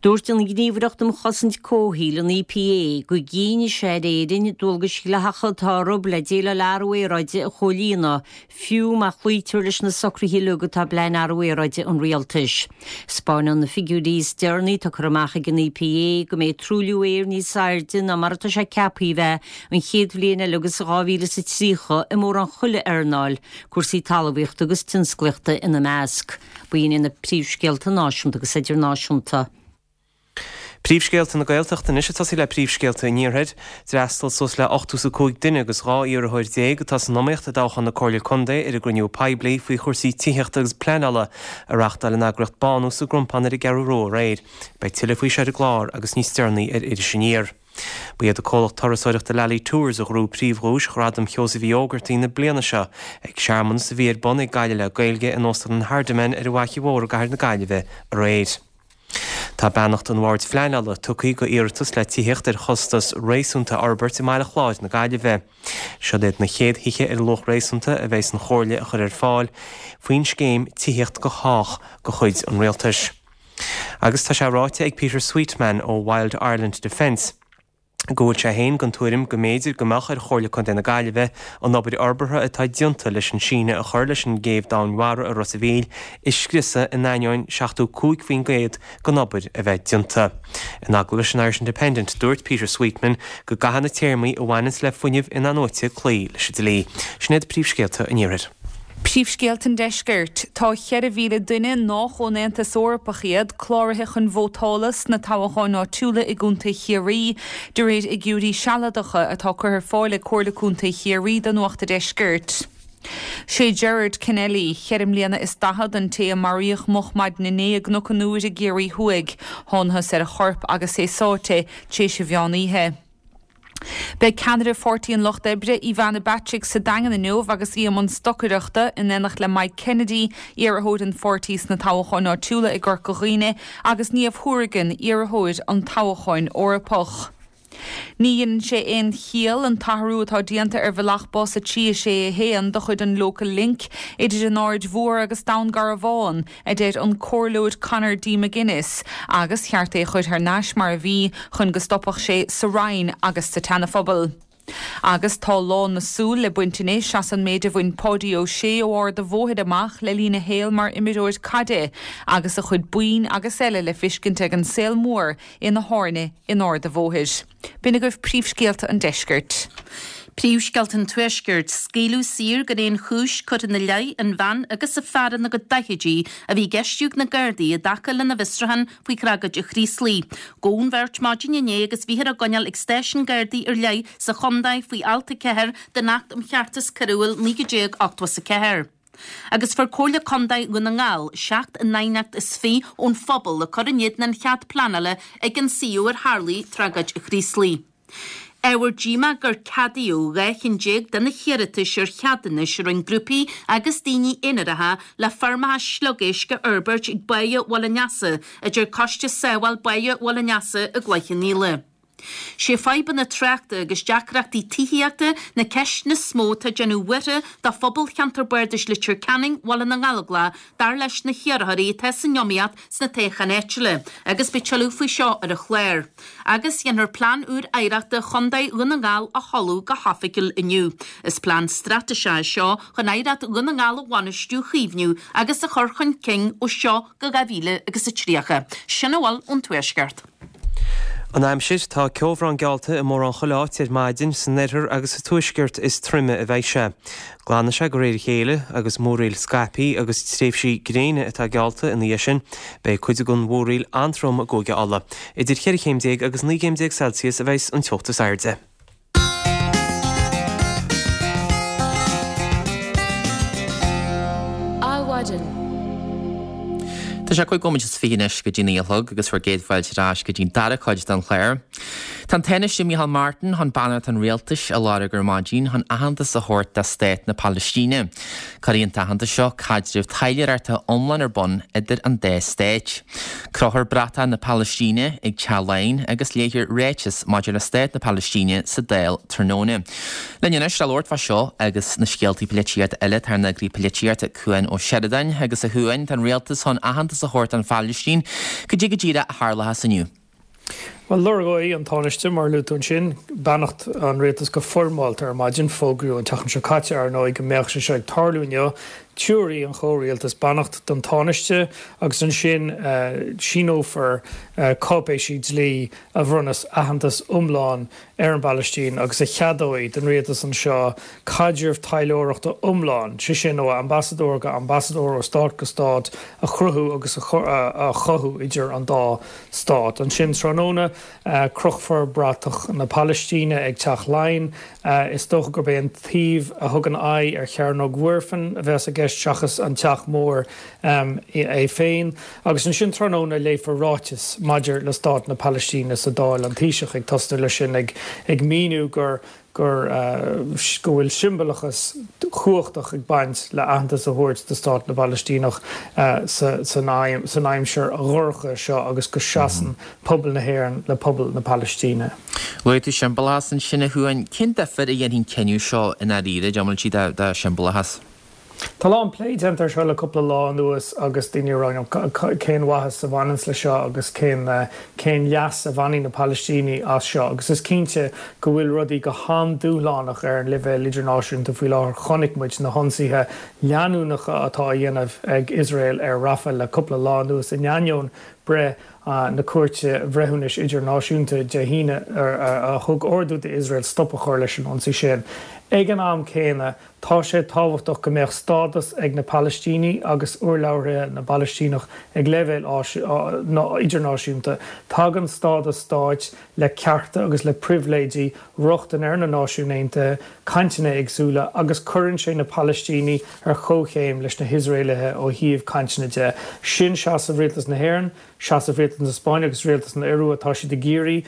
Dúirt an Ghníomhaireacht um Chosaint Comhshaoil, an EPA, go gcinnfidh sé ar Éirinn dualgais dhleathacha atá orthu le déileáil le athrú aeráide a chomhlíonadh, fiú má chloítear leis na socruithe uilig atá i bPlean Athrú Aeráide an Rialtais. Spáineann na figiúirí is deireanaí atá curtha amach ag an EPA go mbeidh truailliú aeir níos airde ná mar atá sé ceaptha a bheith an chéad bhliain eile agus dhá mhíle is a tríocha i mórán chuile earnáil, cúrsaí talmhaíochta agus tionsclaíochta ina measc. B'in iad na príomhscéalta náisiúnta agus idirnáisiúnta. Príomhscéalta na Gaeltachta anois ag tosaí le príomhscéalta an Iarthair. D'fhreastail suas le ochtó is a cúig duine agus dhá iarrthóir déag atá san iomaíocht i dtoghchán na Comhairle Contae ar an gcruinniú poiblí faoi chúrsaí tithíochta agus pleanála a reáchtáil an eagraíocht Bánú sa gCrompán ar an gCeathrú Rua aréir. Beidh tuilleadh faoi seo ar an gclár agus níos deireanaí ar Iris Aniar. Ba iad an comhlacht turasóireachta Lally Tours a ghnóthaigh príomhdhuais Ghradaim Sheosaimh Uí Ógartaigh na bliana seo ag searmanas a bhí ar bun ag Gaillimh le Gaeilge in Óstlann an Hardiman ar an bhFaiche Mhór i gcathair na Gaillimhe aréir. Tá beannacht an Bhoird Phleanála tugtha do iarratas le tithíocht ar chostas réasúnta a fhorbairt i mBaile Chláir na Gaillimhe. Siod iad na chéad thithe ar luach réasúnta a bheas an Chomhairle a chur ar fáil faoin scéim Tithíocht do Chách de chuid an Rialtais. Agus tá sé ráite ag Peter Sweetman ó Wild Ireland Defence go bhfuil sé féin den tuairim go mb'fhéidir go mbeadh ar Chomhairle Contae na Gaillimhe an obair fhorbartha atá déanta leis an síneadh a chur leis an gcéibh domhainmhara i Ros a' Mhíl a scriosadh in ainneoin seachtó cúig faoin gcéad den obair a bheith déanta. In agallamh leis an Irish Independent, dúirt Peter Sweetman go gcaithfidh na téarmaí a bhaineanns le fuinneamh inathnuaite cloí leis an dlí. Sin iad príomhscéalta an Iarthair. Príomhscéalta an Deiscirt. Tá cheithre mhíle duine nách ón Aontas Eorpach iad cláraithe chun vótála sna toghcháin áitiúla i gContae Chiarraí, de réir fhigiúirí sealadacha atá curtha ar fáil ag Comhairle Contae Chiarraí do Nuacht a' Deiscirt. Sé Gerard Kennelly, cheithre mbliana is daichead, an té a maraíodh moch maidin inné i gCnoc an Iúir i gCiarraí Thuaidh. Thángthas ar a chorp agus é sáite tar éis an mheán oíche. Beidh ceannaire Pháirtí an Lucht Oibre, Ivana Bacik, sa Daingean inniu agus í i mbun stocaireachta, in éineacht le Mike Kennedy, iarrthóir an pháirtí sna toghcháin áitiúla i gCorca Dhuibhne, agus Niamh Hourigan, iarrthóir an toghcháin Eorpach. Ní dhéanann sé aon chiall an t-athrú atá déanta ar bhealach bus a trí a sé a haon de chuid an Local Link idir an Aird Mhór agus Dún Garbhán, a deir an Comhairleoir Conor D McGuinness, agus cheart é a chur thar n-ais mar a bhí chun go stopfadh sé sa Rinn agus sa tSeanaphobal. Agus tá lán na súl le baint anois as an méid a bhain Páidí Ó Sé ó Ard a' Bhóthair amach le linn a shaoil mar imreoir caide agus a chuid boinn agus eile le feiscint ag an saol mór ina thairne in Ard a' Bhóthair. B'in agaibh príomhscéalta an deiscirt. Príomhscéalta an Tuaiscirt, Scaoileadh saor gan aon chúis curtha ina leith an bhean agus an fear ina gcuid daichidí a bhí á gceistiú ag na Gardaí i dtaca lena bhfiosrúchán faoi thragóid an Chraoslaigh. Gabhadh an bheirt maidin inné agus bhíothar á gcoinneáil ag stáisiún Gardaí ar leith sa chontae faoi alt a ceathair den Acht um Cheartas Coiriúil naoi déag ochtó a ceathair. Agus fuair Comhairle Contae Dhún na nGall seacht n-aighneacht is fiche ón phobal le cur in éadan an chead pleanála ag an suíomh ar tharlaigh tragóid an Chraoslaigh. Ábhar díomá gur ceadaíodh dhá cheann déag de na hiarratais ar cheadúnais a rinne grúpaí agus daoine aonaracha le feirmeacha sliogéisc a fhorbairt ag Báighe Bhaile an Easa, a deir Coiste Sábháil Báighe Bhaile an Easa i gCloich Cheann Fhaola. Sé fadhbanna tráchta agus deacrachtaí tithíochta na ceisteanna is mó atá ag déanamh buartha do phobal cheantar bardais Leitir Ceanainn, Bhaile na nGallóglach, dar leis na hiarrthóirí atá san iomaíocht sna toghcháin áitiúla, agus beidh tuilleadh faoi seo ar an chlár. Agus dhéanfar Plean úr Oidhreachta Chontae Dhún na nGall a sheoladh go hoifigiúil inniu. Is plean straitéiseach é seo chun oidhreacht Dhún na nGall a bhainistiú, a chaomhnú agus a chur chun cinn ó seo go dhá mhíle agus a tríocha. Sin a bhfuil ón Tuaisceart. An aimsir, Tá ceobhrán geallta i mórán chuile áit ar maidin, san oirthear agus sa tuaisceart is troime a bheidh sé. Glanfaidh sé de réir a chéile agus múraíl scaipthe agus tréimhsí gréine atá geallta ina dhiaidh sin. Beidh cuid den mhúraíl an-trom i gCúige Uladh. Idir cheithre chéim déag agus naoi gcéim déag Celsius a bheas an teocht is airde. Adhmhaidin. Tá sé cúig nóiméad is fiche anois go dtí naoi a chlog agus bhur gcéad fáilte ar ais go dtí'n dara cuid den chlár. Tá an Tánaiste Micheál Martin chun beannacht an rialtais a lorg ar maidin chun aitheantas a thabhairt do stát na Palaistíne. Cuirfidh an t-aitheantas seo caidreamh taidhleoireachta iomlán ar bun idir an dá stát. Crochfar bratach na Palaistíne ag Teach Laighean agus léifear ráiteas maidir le stát na Palaistíne sa Dáil tráthnóna. Linn anois le labhairt fá seo agus na scéaltaí polaitíochta eile tá ár n-eagraí polaitíochta Cuan Ó Seireadáin agus a Chuain, tá an rialtas chun aitheantas a thabhairt don Phalaistín. Cad é go díreach a tharlóchas inniu? Bhuel, lorgóidh an Tánaiste, mar a luaigh tú ansin, beannacht an rialtais go foirmeálta ar maidin. Fógraíodh an tseachtain seo caite, ar ndóigh, go mbeadh sé seo ag tarlú inniu. Tabharfaidh an chomhrialtas beannacht don Tánaiste agus ansin síneofar cáipéisí dlí a bhronnfas aitheantas iomlán ar an bPalaistín agus a cheadóidh don rialtas anseo caidreamh taidhleoireachta iomlán, sé sin ó ambasadóir go ambasadóir, ó stát go stát, a chruthú agus a chothú idir an dá stát. Ansin tráthnóna, crochfar bratach na Palaistíne ag Teach Laighean. Is dócha gurb é an taobh a thugann aghaidh ar Chearnóg Mhuirfean a bheas i gceist seachas an Teach Mór é féin. Agus ansin tráthnóna léifear ráiteas maidir le stát na Palaistíne sa Dáil, an Taoiseach ag tosnú leis sin ag míniú gur gur go bhfuil siombalachas cumhachtach ag baint le aitheantas a thabhairt do stát na bPalaistíneach san aimsir dhorcha seo agus go seasann pobal na hÉireann le pobal na Palaistíne. Luaigh tú siombalachas ansin a Chuain. Cén difear a dhéanfaidh an cinneadh seo i ndáiríre, an bhfuil sé de shiombalachas? Tá a lán plé déanta air seo le cúpla lá anuas agus daoine ag rá cén mhaitheas a bhaineanns leis seo agus cén cén leas a bhainfidh na Palaistínigh as seo agus is cinnte go bhfuil rudaí go han-dúshlánach ar an leibhéal idirnáisiúnta faoi láthair. Chonaic muid na hionsaithe leanúnacha atá á dhéanamh ag Iosrael ar Rafah le cúpla lá anuas in ainneoin breith na Cúirte Bhreithiúnais Idirnáisiúnta Dé hAoine a thug ordú d'Iosrael stop a chur leis an ionsaí sin. Ag an am céanna, tá sé tábhachtach go mbeadh stádas ag na Palaistínigh agus urlabhraithe na bPalaistíneach ag leibhéal idirnáisiúnta. Tagann stádas stáit le cearta agus le pribhléidí, rochtain ar na Náisiúin Aontaithe, cainteanna éagsúla agus cuireann sé na Palaistínigh ar chomhchéim leis na hIosraelaithe ó thaobh cainteanna de. Sin seasamh Rialtas na hÉireann, seasamh Rialtas na Spáinne agus Rialtas na Iorua. Tá siad ag iarraidh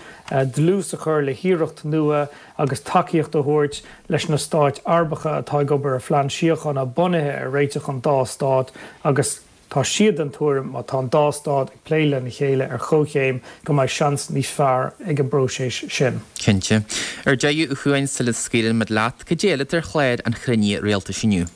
dlús a chur le hiarracht nua agus tacaíocht a thabhairt leis na stáit Arabacha atá ag obair ar phlean síochána bunaithe ar réiteach an dá stát agus tá siad den tuairim má tá an dá stát ag plé lena chéile ar chomhchéim go mbeidh seans níos fearr ag an bpróiseas sin. Cinnte. Ar deireadh, a Chuain, sula scaoileann muid leat, cad é eile atá ar chlár an chruinnithe rialtais inniu?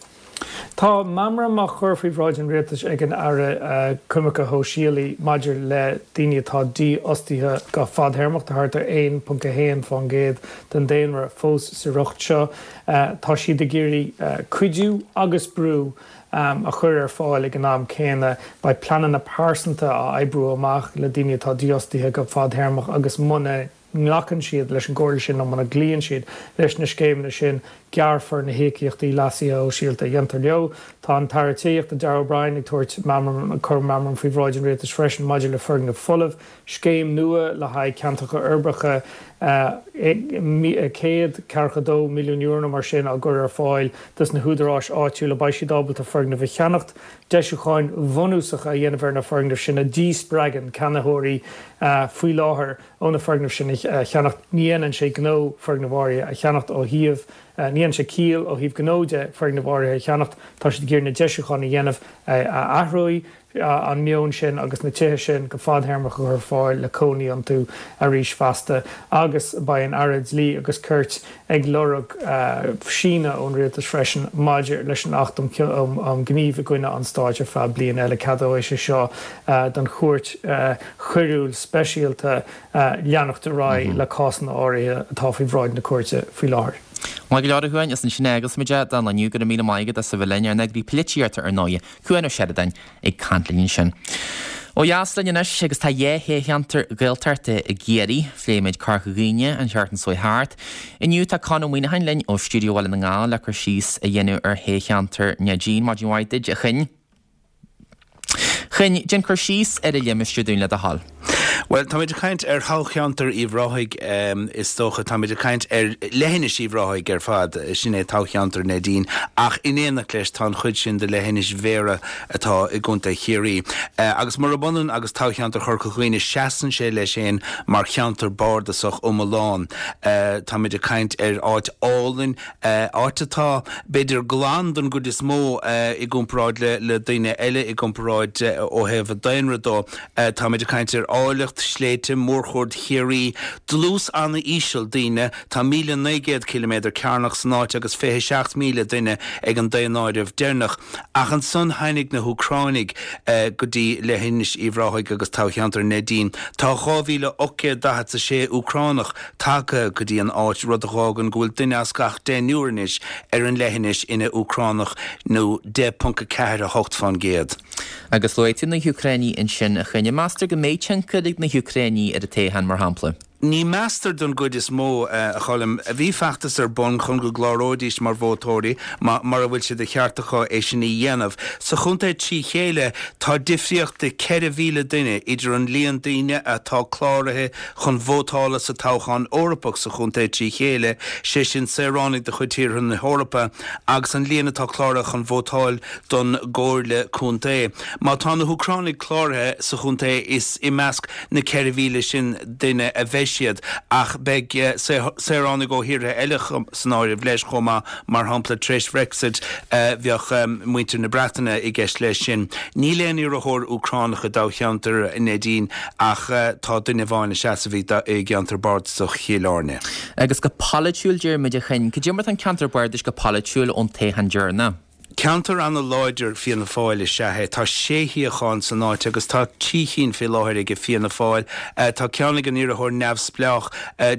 Tá meamram á chur faoi bhráid an Rialtais ag an Aire Coimirce Shóisialaí maidir le daoine atá dífhostaithe go fadthéarmach, tá thart ar aon ponc a haon fán gcéad den daonra fós sa riocht seo. Tá siad ag iarraidh cuidiú agus brú a chur ar fáil ag an am céanna. Beidh pleananna pearsanta á oibriú amach le daoine atá dífhostaithe go fadthéarmach agus muna nglacann siad leis an gcomhairle sin nó muna gcloíonn siad leis na scéimeanna sin, gearrfar na híocaíochtaí leasaithe shóisialta a dhéantar leo. Tá an tAire Tithíochta Darragh O'Brien ag tabhairt meamram, ag cur meamram faoi bhráid an Rialtais freisin maidir le foirgnimh folamh, scéim nua le haghaidh ceantracha uirbeacha, céad ceathracha dó milliún euro nó mar sin á gcur ar fáil dos na húdaráis áitiúla, beidh siad ábalta foirgnimh a cheannacht, deisiúcháin bhunúsacha a dhéanamh ar na foirgnimh sin a dhíspreagann ceannaitheoirí faoi láthair ó na foirgnimh sin a cheannacht. Ní dhéanann sé gnó foirgnimh áirithe a cheannacht ó thaobh, ní dhéanann sé ciall ó thaobh gnó de foirgnimh áirithe a cheannacht, tá siad ag iarraidh na deisiúcháin a dhéanamh a athróidh an meon sin agus na tithe sin go fadthéarmach a chur ar fáil le cónaí iontu arís feasta agus beidh an Aire Dlí agus Cirt ag lorg síneadh ón Rialtas freisin maidir leis an Acht um Ghníomh i gcoinne an Stáit ar feadh bliain eile. Ceadóidh sé seo don Chúirt Choiriúil Speisialta leanacht ar aghaidh le cásanna áirithe atá faoi bhráid na cúirte faoi láthair. Maith go leor a Chuain, is ansin a fhágas muid é don lá inniu. Go raibh míle maith agat as a bheith linn ar an eagraí polaitíochta ar ndóighe, Cuan Ó Seireadáin ag caint linn ansin. Ó dheas linn anois agus tá dhá thoghcheantar Gaeltachta i gCiarraí. Phléigh muid Corca Dhuibhne an tseachtain seo thart. Inniu tá Conn Ó Muíneacháin linn ó Stiúideo Bhaile na nGall le cur síos a dhéanamh ar thoghcheantar Neidín. Maidin mhaith duit, a Choinn. Choinn, déan cur síos ar an limistéar dúinn le do thoil. Bhuel, táimid ag caint ar thoghcheantar Uíbh Ráthaigh, is dócha. Táimid ag caint ar leithinis Uíbh Ráthaigh ar fad, sin é toghcheantar Neidín, ach in éineacht leis tá an chuid sin de leithinis Bhéarra atá i gContae Chiarraí. Agus murab ionann agus toghcheantar Chorca Dhuibhne, seasann sé leis féin mar cheantar bardasach iomlán. Táimid ag caint ar áit álainn, áit atá, b'fhéidir, glan don gcuid is mó i gcomparáid le daoine eile, i gcomparáid ó thaobh an daonra dó. Táimid ag caint ar áilleacht sléibhte, mórchuaird Chiarraí, dlús an-íseal daoine, tá míle naoi gcéad ciliméadar cearnach san áit agus fiche seacht míle duine ag an daonáireamh deireanach. Ach ansan tháinig na hÚcránaigh go dtí leithinis Uíbh Ráthaigh agus toghcheantar Neidín. Tá dhá mhíle ocht gcéad daichead 's a sé Úcránach tagtha go dtí an áit, rud a dh'fhágann go bhfuil duine as gach deichniúr anois ar an leithinis ina Úcránach, nó deich ponc a ceathair a hocht fán gcéad. Agus luaigh tú na hÚcránaigh ansin, a Choinn. An meastar go mbeidh tionchar ag na hÚcránaigh ar an toghchán, mar shampla? Ní meastar don gcuid is mó, a Choilm. Bhí feachtas ar bun chun go gcláróidís mar vótóirí, mar a bhfuil sé de cheart acu é sin a dhéanamh. Sa chontae trí chéile, tá difríocht de ceithre mhíle duine idir an líon daoine atá cláraithe chun vótála sa toghchán Eorpach sa chontae trí chéile, sé sin saoránaigh de chuid tíortha na hEorpa, agus an líon atá cláraithe chun vótáil don gComhairle Contae. Má tá na hÚcránaigh cláraithe sa chontae is i measc na ceithre mhíle sin duine a bheidh siad ach beidh saoránaigh ó thíortha eile san áireamh leis chomh maith, mar shampla tar éis Bhrexit bheadh muintir na Breataine i gceist leis sin. Níl aon iarrthóir Úcránach i dtoghcheantar Neidín ach tá duine amháin ag seasamh i gceantar bardasach Chill Airne. Agus go polaitiúil, deir muid, a Chinn, cad é mar atá an ceantar bardais go polaitiúil ón toghchán deireanach? Ceantar ana-láidir Fianna Fáil is ea é. Tá sé shuíochán san áit agus tá trí chinn fé láthair aige Fianna Fáil. Tá ceann ag an iarrthóir neamhspleách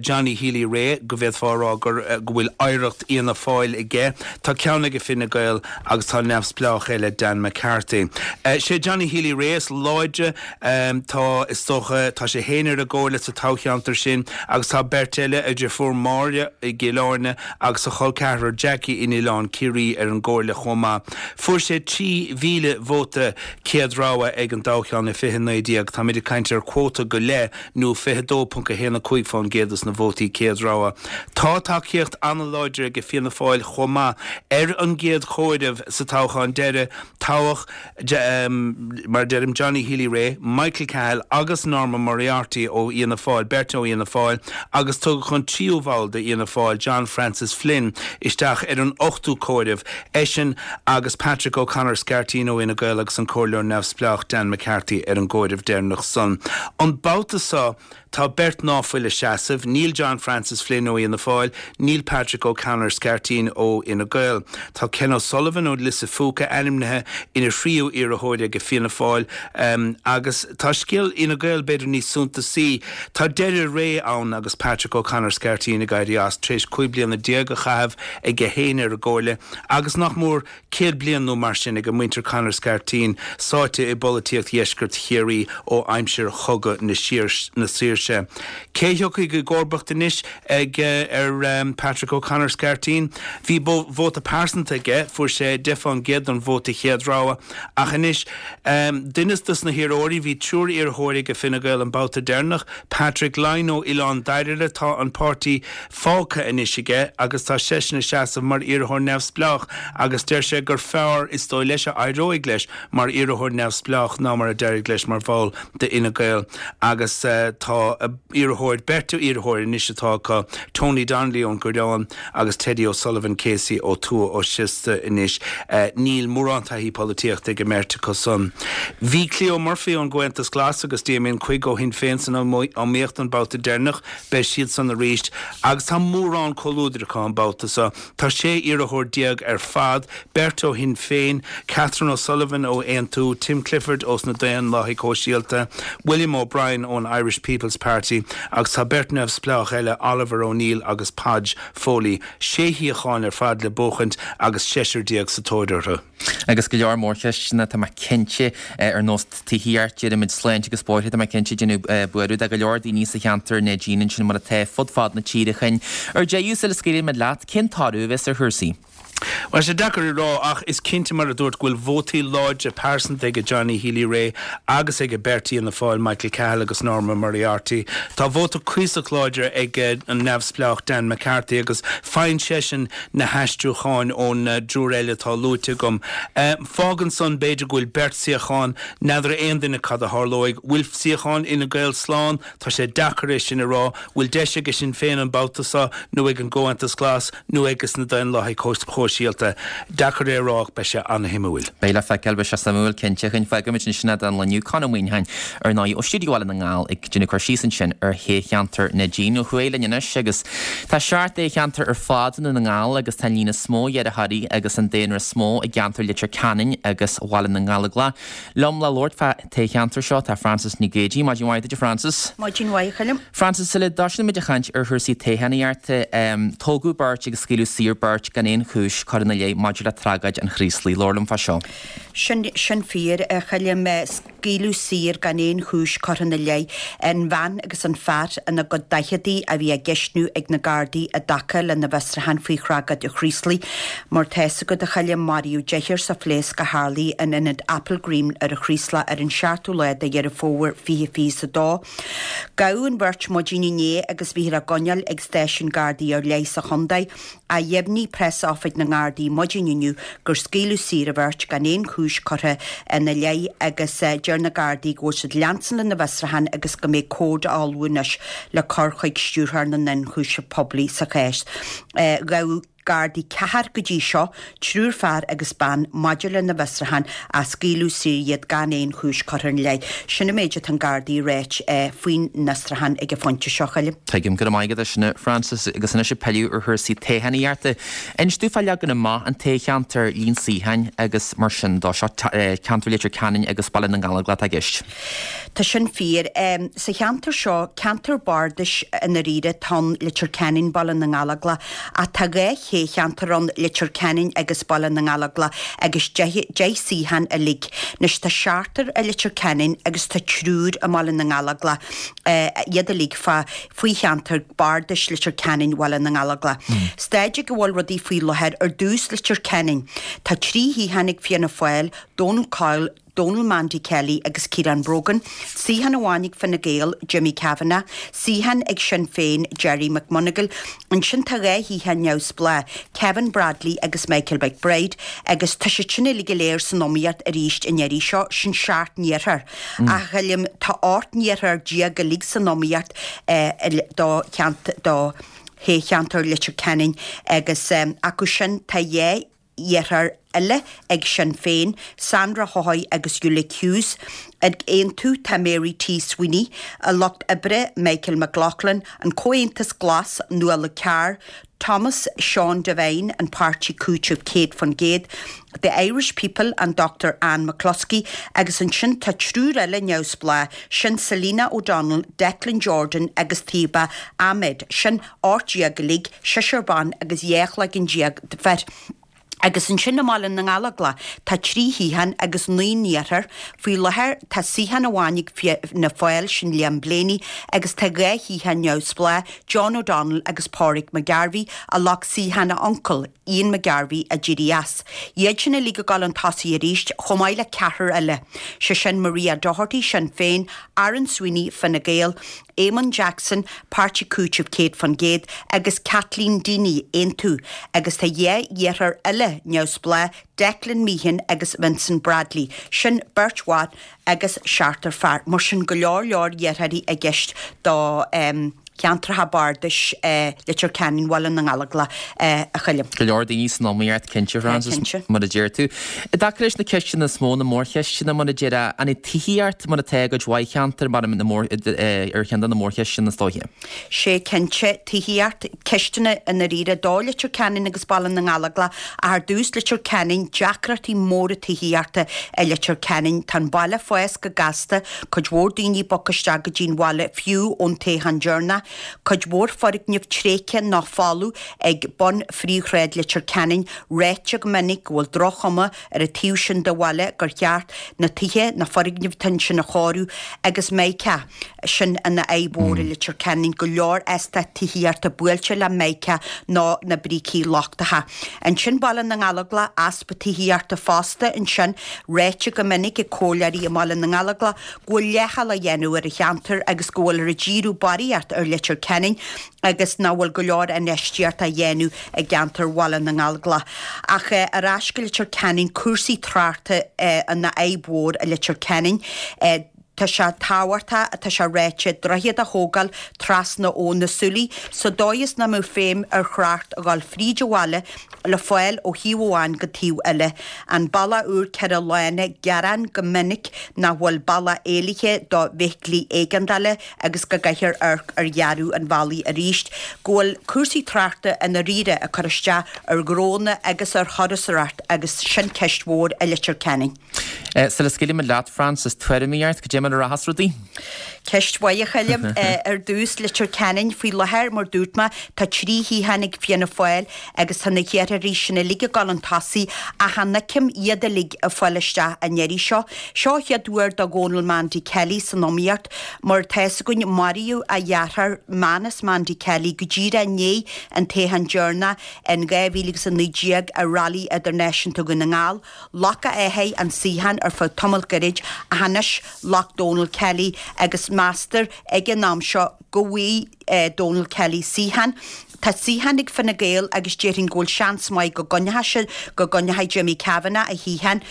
Johnny Healy-Rae, go bhféadfá a rá gur go bhfuil oidhreacht Fhianna Fáil aige. Tá ceann aige Fine Gael agus tá neamhspleách eile, Dan McCarthy. Sé Johnny Healy-Rae is láidre. Tá, is dócha, tá sé féin ar an gcomhairle sa toghcheantar sin agus tá beirt eile, a dheirfiúr Máire i gCill Airne agus a chol ceathrar Jackie in Oileán Ciarraí ar an gcomhairle chomh maith. Fuair sé trí mhíle vóta céad rogha ag an dtoghchán i fiche naoi déag, táimid ag caint ar quota go leith nó fiche dó ponc a haon a cúig fán gcéad dos na vótaí céad rogha. Tá tacaíocht an-láidir aige Fianna Fáil chomh maith. Ar an gcéad chomhaireamh sa toghchán deiridh, toghadh, mar a deirim, Johnny Healy-Rae, Michael Cahill agus Norma Moriarty ó Fhianna Fáil, beirt ó Fhianna Fáil, agus tugadh an tríú bhall d'Fhianna Fáil, John Francis Flynn, isteach ar an ochtú comhaireamh, eisean agus Patrick O'Connor Scairtín ó Fhine Gael agus an comhairleoir neamhspleách Dan McCarthy ar an gcomhaireamh deireanach san. An babhta seo, Tá beirt ná fuil ag seasamh, níl John Francis Flynn ó Fhianna Fáil, níl Patrick O'Connor Scairtín ó Fhine Gael. Tá Ken O'Sullivan ó Lios a' Phúca ainmnithe ina thríú iarrthóir ag Fianna Fáil agus tá scéal Fhine Gael b'fhéidir níos suntasaí. Tá deireadh ré ann agus Patrick O'Connor Scairtín ag éirí as tar éis cúig bliana déag a chaitheamh aige féin ar an gcomhairle agus nach mór céad bliain nó mar sin ag muintir Connor Scarteen sáite i bpolaitíocht dheisceart Chiarraí ó aimsir Chogadh na Saoirse. Cé thiocfaidh i gcomharbacht anois ag ar Patrick O'Connor Scarteen? Bhí vóta pearsanta aige, fuair sé deich fán gcéad den vóta chéad rogha, ach anois duine dos na hiarrthóirí, bhí triúr iarrthóirí ag Fine Gael an babhta deireanach, Patrick Lyne ó Oileán Dairbhre, tá an páirtí fágtha anois aige agus tá seisean ag seasamh mar iarrthóir neamhspleách agus deir sé gur fearr is dóigh leis a éireoidh leis mar iarrthóir neamhspleách ná mar a d'éirigh leis mar bhall d'Fhine Gael agus tá iarrthóir, beirt iarrthóir anois atá acu, Tony Donnelly ón gCoireán agus Teddy O'Sullivan KC ó Tuath Ó Siosta anois. Níl mórán taithí polaitíochta ag an mbeirt acu san. Bhí Cleo Murphy ón gComhaontas Glas agus Damien Quigg ó Shinn Féin san iomaíocht an babhta deireanach, beidh siad san arís agus tá mórán comhluadair acu an babhta seo. Tá sé iarrthóir déag ar fad, beirt ó Shinn Féin, Catherine O'Sullivan ó Aontú, Tim Clifford ós na Daonlathaigh Shóisialta, William O'Brien ón Irish People's Party agus tá beirt neamhspleách eile, Oliver O'Neill agus Podge Foley. Sé shuíochán ar fad le buachaint agus seisear déag sa tóir orthu. Agus go leor mórcheisteanna, tá mé cinnte, ar nós tithíocht, deirimid sláinte agus bóithre, tá mé cinnte, ag déanamh buaireamh do go leor daoine sa cheantar Neidín ansin mar atá fud fad na tíre chugainn. Ar deireadh, sula scaoilfimid leat, cén toradh a bheas ar chúrsaí? Bhuel, sé deacair a rá ach is cinnte mar a dúirt go bhfuil vótaí láidre pearsanta ag Johnny Healy-Rae agus ag beirt Fhianna Fáil, Michael Cahill agus Norma Moriarty. Tá vóta cuíosach láidir ag an neamhspleách Dan McCarthy agus faigheann seisean na haistriúcháin ón dtriúr eile atá luaite agam. Fágann san b'fhéidir go bhfuil beirt suíochán, n'fheadar aon duine cad a tharlóidh. Bhfuil suíochán Fhine Gael slán? Tá sé deacair é sin a rá. Bhfuil deis ag Sinn Féin an babhta seo nó ag an gComhaontas Glas nó ages na Daonlathaigh Shóisialta? Deacair é a rá ach beidh sé an-shuimiúil. Beidh le feiceáil, beidh sé suimiúil cinnte. Chuinn fágfaimid ansin é don lá inniu. Conn Ó Muíneacháin, ar ndóigh, ó Stiúideo Bhaile na nGall ag déanamh cur síos ansin ar thoghcheantar Neidín ó thuaidh linn anois agus tá seacht dtoghcheantar ar fad i nDún na nGall agus tá an líon is mó iarrthóirí agus an daonra is mó i gceantar Leitir Ceanainn agus Bhaile na nGallóglach. Liom le labhairt fá thoghcheantar seo tá Frances Nic Géadaigh. Maidin mhaith duit a Frances. Maidin mhaith a Choilm. Frances, sula dtoisíonn muid ag caint ar chúrsaí toghchánaíochta, tógadh beirt agus scaoileadh saor beirt gan aon chúis curtha ina leith maidir le tragóid an Chraoslaigh. Labhair liom fá seo. Sin, sin fíor, a Choilm. Scaoileadh saor gan aon chúis curtha ina leith an bhean agus an fear ina gcuid daicheadaí a bhí á gceistniú ag na Gardaí i dtaca lena bhfiosrúchán faoi thragóid an Chraoslaigh. Mar tá fhios agat, a Choilm, maraíodh deichniúr sa phléasc a tharlaigh in ionad Applegreen ar an Chraoslach ar an seachtú lá de Dheireadh Fómhair fiche fiche is a dó. Gabhadh an bheirt maidin inné agus bhíothar á gcoinneáil ag stáisiún Gardaí ar leith sa chontae. Ach dheimhnigh preas-oifig na nGardaí maidin inniu gur scaoileadh saor an bheirt gan aon chúis curtha ina leith agus deir na Gardaí go bhfuil siad leanstan lena bhfiosrúchán agus go mbeidh comhad á ullmhú anois le cur chuig Stiúrthóir na nIonchúiseamh Poiblí sa chás. Gabhadh Gardaí ceathrar go dtí seo, triúr fear agus bean, maidir lena bhfiosrúchán ach scaoileadh saor iad gan aon chúis curtha ina leith. Sin an méid atá an Gardaí a ráit faoin bhfiosrúchán ag an phointe seo, a Choilm. Tuigim. Go raibh maith agat as sin, a Frances. Agus anois ag pilleadh ar chúrsaí toghchánaíochta. Inis domh fá leagan amach an toghcheantair, líon suíocháin agus mar sin de. Seo ceantar Leitir Ceanainn agus Baile na nGallóglach atá i gceist. Tá sin fíor. Sa cheantar seo, ceantar bardais i ndáiríre atá ann, Leitir Ceanainn, Baile na nGallóglach, ach tá dhá thoghcheantar ann, Leitir Ceanainn agus Baile na nGallóglach, agus deich deich suíochán uilig. Anois tá seachtar i Leitir Ceanainn agus tá triúr i mBaile na nGallóglach, iad uilig fá faoi cheantar bardais Leitir Ceanainn, Bhaile na nGallóglach. Staid ag a bhfuil rudaí faoi láthair, ar dtús Leitir Ceanainn, tá trí shuíochán ag Fianna Fáil, Donal Coyle, Donal Mandy Kelly agus Ciarán Brogan, suíochán amháin ag Fine Gael, Jimmy Kavanagh, suíochán ag Sinn Féin, Gerry McMonagle, ansin tá dhá shuíochán neamhspleách, Kevin Bradley agus Michael McBride, agus tá siad sin uilig go léir san iomaíocht arís an iarraidh seo, sin seacht n-iarrthóir. Ach a Choilm, tá ocht n-iarrthóir déag uilig san iomaíocht do do thoghcheantar Leitir Ceanainn agus acu sin tá dhá iarrthóir eile ag Sinn Féin, Sandra Haughey agus Ulick Hughes. Ag Aontú tá Mary T Sweeney, an Lucht Oibre, Michael McLoughlin, an Comhaontas Glas, Nuala Carr, Thomas Sean Devine, an Páirtí Cúitimh céad faoin gcéad, The Irish People, an Dochtúir Anne McCluskey, agus ansin tá triúr eile neamhspleách, sin Selina O'Donnell, Declan Jordan agus Taoba Ahmed. Sin ocht déag uilig, seisear ban agus dhá chloigeann déag de fir. Agus ansin i mBaile na nGallóglach tá trí shuíochán agus naoi n-iarrthóir. Faoi láthair tá suíochán amháin ag Fianna Fáil, sin Liam Blaney, agus tá dhá shuíochán neamhspleách, John O'Donnell agus Pádraig McGarvey, a ghlac suíochán a uncail, Ian McGarvey, a d'éirigh as. Iad sin uilig ag dul chun tosaigh arís, chomh maith le ceathrar eile, sé sin Maria Doherty, Sinn Féin, Aaron Sweeney, Fine Gael, Eamon Jackson, Páirtí Cúitimh céad fan gcéad, agus Kathleen Deeney, Aontú, agus tá dhá iarrthóir eile neamhspleách, Declan Meehan agus Vincent Bradley. Sin beirt bhan agus seachtar fear. Mar sin go leor leor iarrthóirí i gceist do cheantracha bardais Leitir Ceanainn, Bhaile na nGallóglach, a Choilm. Go leor daoine san iomaíocht, cinnte, Frances, mar a deir tú. I dtaca leis na ceisteanna is mó, na mórcheisteanna, mar a déarfá, an é tithíocht mar atá i gcuid mhaith cheantar mar ar cheann de na mórcheisteanna is dóiche? Sé cinnte, tithíocht, ceisteanna i ndáiríre do Leitir Ceanainn agus Baile na nGallóglach ach ar dtús Leitir Ceanainn, deacrachtaí móra tithíochta i Leitir Ceanainn. Tá an baile ag fás go gasta, cuid mhór daoine ag bogadh isteach go dtí an bhaile fiú ón toghchán deireanach. Cuid mhór foirgneamh tréigthe nó folamh ag bun phríomhshráid Leitir Ceanainn, ráite go minic go bhfuil droch-chuma ar an taobh sin de bhaile, gur cheart na tithe, na foirgnimh atá ansin a chóiriú agus mica, sin ina fhadhb mhór i Leitir Ceanainn, go leor eastát tithíochta buailte le mica nó na brící lochtacha. Ansin Baile na nGallóglach, easpa tithíochta fosta ansin, ráite go minic ag comhairleoirí i mBaile na nGallóglach go bhfuil leithcheal á dhéanamh ar an cheantar agus go bhfuiltear ag díriú barraíocht ar Leitir Ceanainn agus nach bhfuil go leor infheistíocht á dhéanamh i gceantar Bhaile na nGallóglach. Ach ar ais go Leitir Ceanainn, cúrsaí tráchta ina fhadhb mhór i Leitir Ceanainn. Tá sé tábhachtach, tá sé ráite, droichead a thógáil trasna Abhainn na Súilí sa dóigh is nach mbeadh feidhm ar thrácht a dhul fríd an bhaile le fáil ó thaobh amháin go taobh eile. An bealach úr ceithre lána, gearán go minic nach bhfuil bealach éalaithe do bhfeithiclí éigeandála agus go gcaithfear amharc ar dhearadh an bhealaigh arís, go bhfuil cúrsaí tráchta i ndáiríre ag cur isteach ar ghnónna agus ar thurasóireacht agus sin ceist mhór i Leitir Ceanainn. Sula scaoilfimid leat, Frances, tuairimí ort, cad é mar a rachas rudaí? Ceist mhaith, a Choilm. Ar dtús, Leitir Ceanainn, faoi láthair, mar dúirt mé, tá trí shuíochán ag Fianna Fáil agus tá na hiarrthóirí sin uilig ag dul chun tosaigh ach chan fheicim iad uilig ag fáil isteach an iarraidh seo. Seo an chéad uair do Dhónal Mandy Kelly san iomaíocht. Mar atá fhios againn, maraíodh a dheartháir, Manus Mandy Kelly, go díreach i ndiaidh an toghcháin deireanach in dhá mhíle agus a naoi déag i Rally Idirnáisiúnta Dhún na nGall. Ghlac a athair an suíochán ar feadh tamall gairid ach anois ghlac Dónal Kelly agus meastar ag an am seo go bhfaighidh Dónal Kelly suíochán. Tá suíochán ag Fine Gael agus déarfainn go bhfuil seans maith go gcoinneoidh sé, go gcoinneoidh Jimmy Kavanagh a shuíochán.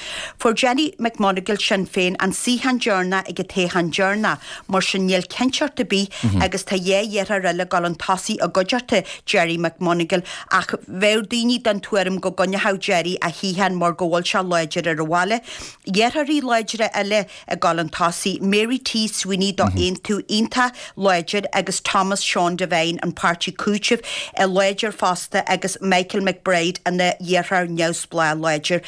Fuair Jenny McMonagle, Sinn Féin, an suíochán deireanach ag an toghchán deireanach, mar sin níl cinnteacht ar bith agus tá dhá iarrthóir eile ag dul chun tosaigh i gcuideachta Gerry McMonagle ach bheadh daoine den tuairim go gcoinneochadh Gerry a shuíochán mar go bhfuil sé láidir ar an bhaile. Iarrthóirí láidre eile ag dul chun tosaigh, Mary T Sweeney do Aontú iontach láidir agus Thomas Sean Devine an Páirtí Cúitimh láidir fosta agus Michael McBride ina iarrthóir neamhspleách láidir.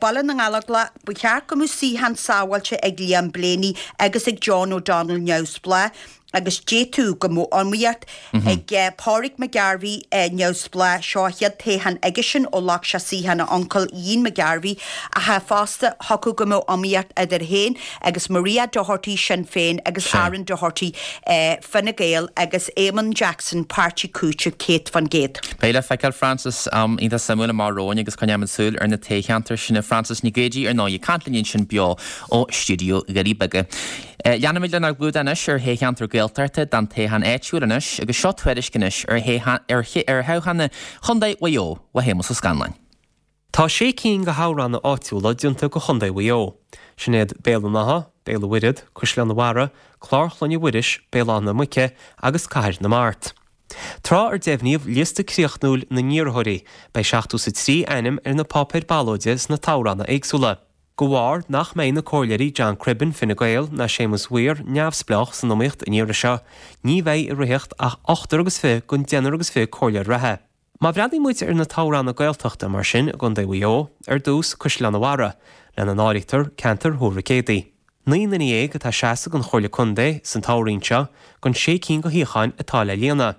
Baile na nGallóglach, ba cheart go mbeadh suíochán sábháilte ag Liam Blaney agus ag John O'Donnell neamhspleách. agus d'fhéadfadh go mbeadh iomaíocht ag Pádraig McGarvey, neamhspleách, seo a chéad toghchán aigesean ó ghlac sé suíochán a uncail Ian McGarvey, ach fosta thiocfadh go mbeadh iomaíocht idir féin agus Maria Doherty, Sinn Féin, agus Aaron Doherty, Fine Gael, agus Eamon Jackson, Páirtí Cúitimh, céad fan gcéad. Beidh le feiceáil, Frances. Am iontach suimiúil amach romhainn agus coinneoimid súil ar na toghcheantair sin. Frances Nic Géadaigh, ar ndóigh, ag caint linn ansin beo ó stiúideo Dhoirí Beaga. Leanfaimid lenár gclúdach anois ar thoghcheantar Gaeltachta don toghchán áitiúil anois agus seo tuairisc anois ar thoghchán Chontae Mhaigh Eo le Shéamus Ó Scanláin. Tá sé cinn de thoghranna áitiúla déanta do Chontae Mhaigh Eo. Sin iad Béal an Átha, Béal an Mhuirthead, Caisleán an Bharraigh, Clár Chlainne Mhuiris, Béal Átha na Muice agus Cathair na Mart. Tráth ar deimhníodh liosta críochnúil na n-iarrthóirí, beidh seachtó is a trí ainm ar na páipéir ballóide sna toghranna éagsúla. De bharr nach mbeidh na comhairleoirí John Cribbin, Fine Gael, ná Séamus Weir, Neamhspleách, san iomaíocht an iarraidh seo, ní bheidh i rith ach ochtar agus fiche den deichniúr agus fiche comhairleoir reatha. Má bhreathnaíonn muid ar na toghranna Gaeltachta mar sin i gContae Mhaigh Eo, ar dtús Caisleán an Bharraigh, lena n-áirítear ceantar Thuar Mhic Éadaigh. Naoi nduine dhéag atá ag seasamh don Chomhairle Contae san toghroinn seo, den sé cinn de shuíocháin atá le líonadh.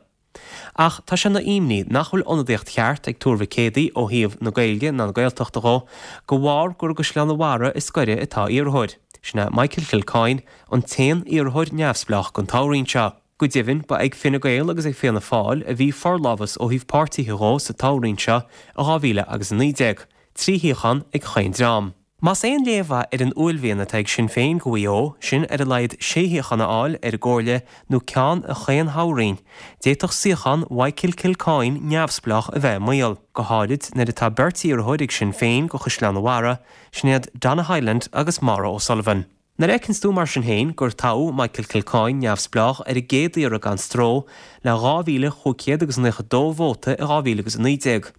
Ach tá sé ina imní nach bhfuil ionadaíocht cheart ag Tuar Mhic Éadaigh ó thaobh na Gaeilge ná na Gaeltachta dhó, de bharr gur i gCaisleán an Bharraigh is gaire atá iarrthóir. Sin é Michael Kilcoyne, an t-aon iarrthóir neamhspleách don toghroinn seo. Go deimhin, ba ag Fine Gael agus ag Fianna Fáil a bhí forlámhas ó thaobh páirtithe dhó sa toghroinn seo i dhá mhíle agus a naoi déag, trí shuíochán ag chaon dream. Más aon léamh mhaith ar an uaillmhian atá ag Sinn Féin do Mhaigh Eo, sin ar a laghad sé shuíochán a fháil ar an gcomhairle nó ceann i chaon thoghroinn, d'fhéadfadh suíochán Mhichael Kilcoyne neamhspleách a bheith i mbaol, go háirid nuair atá beirt iarrthóir ag Sinn Féin do Chaisleán an Bharraigh, sin iad Donna Hyland agus Maura O'Sullivan. Nuair a fheiceanns tú mar sin féin gur toghadh Michael Kilcoyne neamhspleách ar an gcéad iarraidh gan stró le dhá mhíle chúig chéad agus naocha dó vóta i dhá mhíle agus a naoi déag,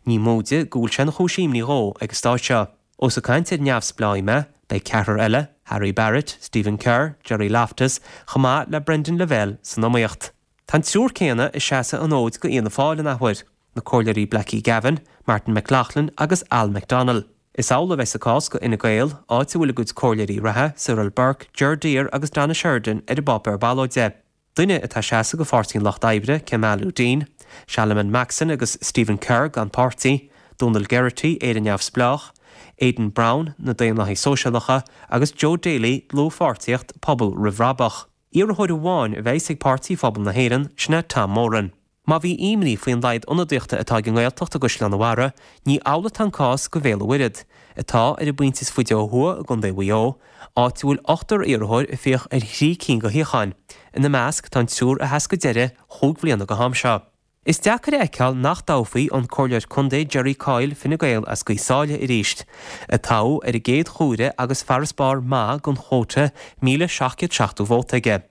ní móide go bhfuil sé ina chúis imní dhó ag an stáid seo. Ós ag caint ar neamhspleáigh mé, beidh ceathrar eile, Harry Barrett, Stephen Kerr, Gerry Loftus, chomh maith le Brendan Lavelle san iomaíocht. Tá an triúr céanna ag seasamh an fhóid do Fhianna Fáil an athuair, na comhairleoirí Blackie Gavin, Martin McLaughlin agus Al McDonnell. Is amhlaidh a bheas an cás do Fhine Gael, áit a bhfuil a gcuid comhairleoirí reatha, Cyril Burke, Ger Deere agus Donna Sheridan ar an bpáipéar ballóide. Duine atá ag seasamh do Pháirtí an Lucht Oibre, Kemal Uddin, Shalamon Maxon agus Stephen Kerr gan páirtí, Dónal Geraghty, Éire Neamhspleách, Aidan Browne, na Daonlathaigh Sóisialacha, agus Joe Daly, Dlúthpháirtíocht, Pobal Roimh Bhrabach. Iarrthóir amháin a bheas ag Páirtí Phobal na hÉireann, sin é Tom Moran. Má bhí imní faoin laghad ionadaíochta atá ag an nGaeltacht i gCaisleán an Bharraigh, ní amhlaidh atá an cás do Bhéal an Mhuirthead, atá ar an bpointe is faide ó thuaidh i gContae Mhaigh Eo, áit a bhfuil ochtar iarrthóir ag fiach ar thrí cinn de shuíocháin. Ina measc tá an triúr a sheas go deireadh chúig bhliana go ham seo. Is deacair a fheiceáil nach dtoghfaí an Comhairleoir Contae Jerry Coyle, Fine Gael as Gaoth Sáile arís, a toghadh ar an gcéad chuaire agus farasbarr maith den chuóta míle seacht gcéad seachtó vóta aige.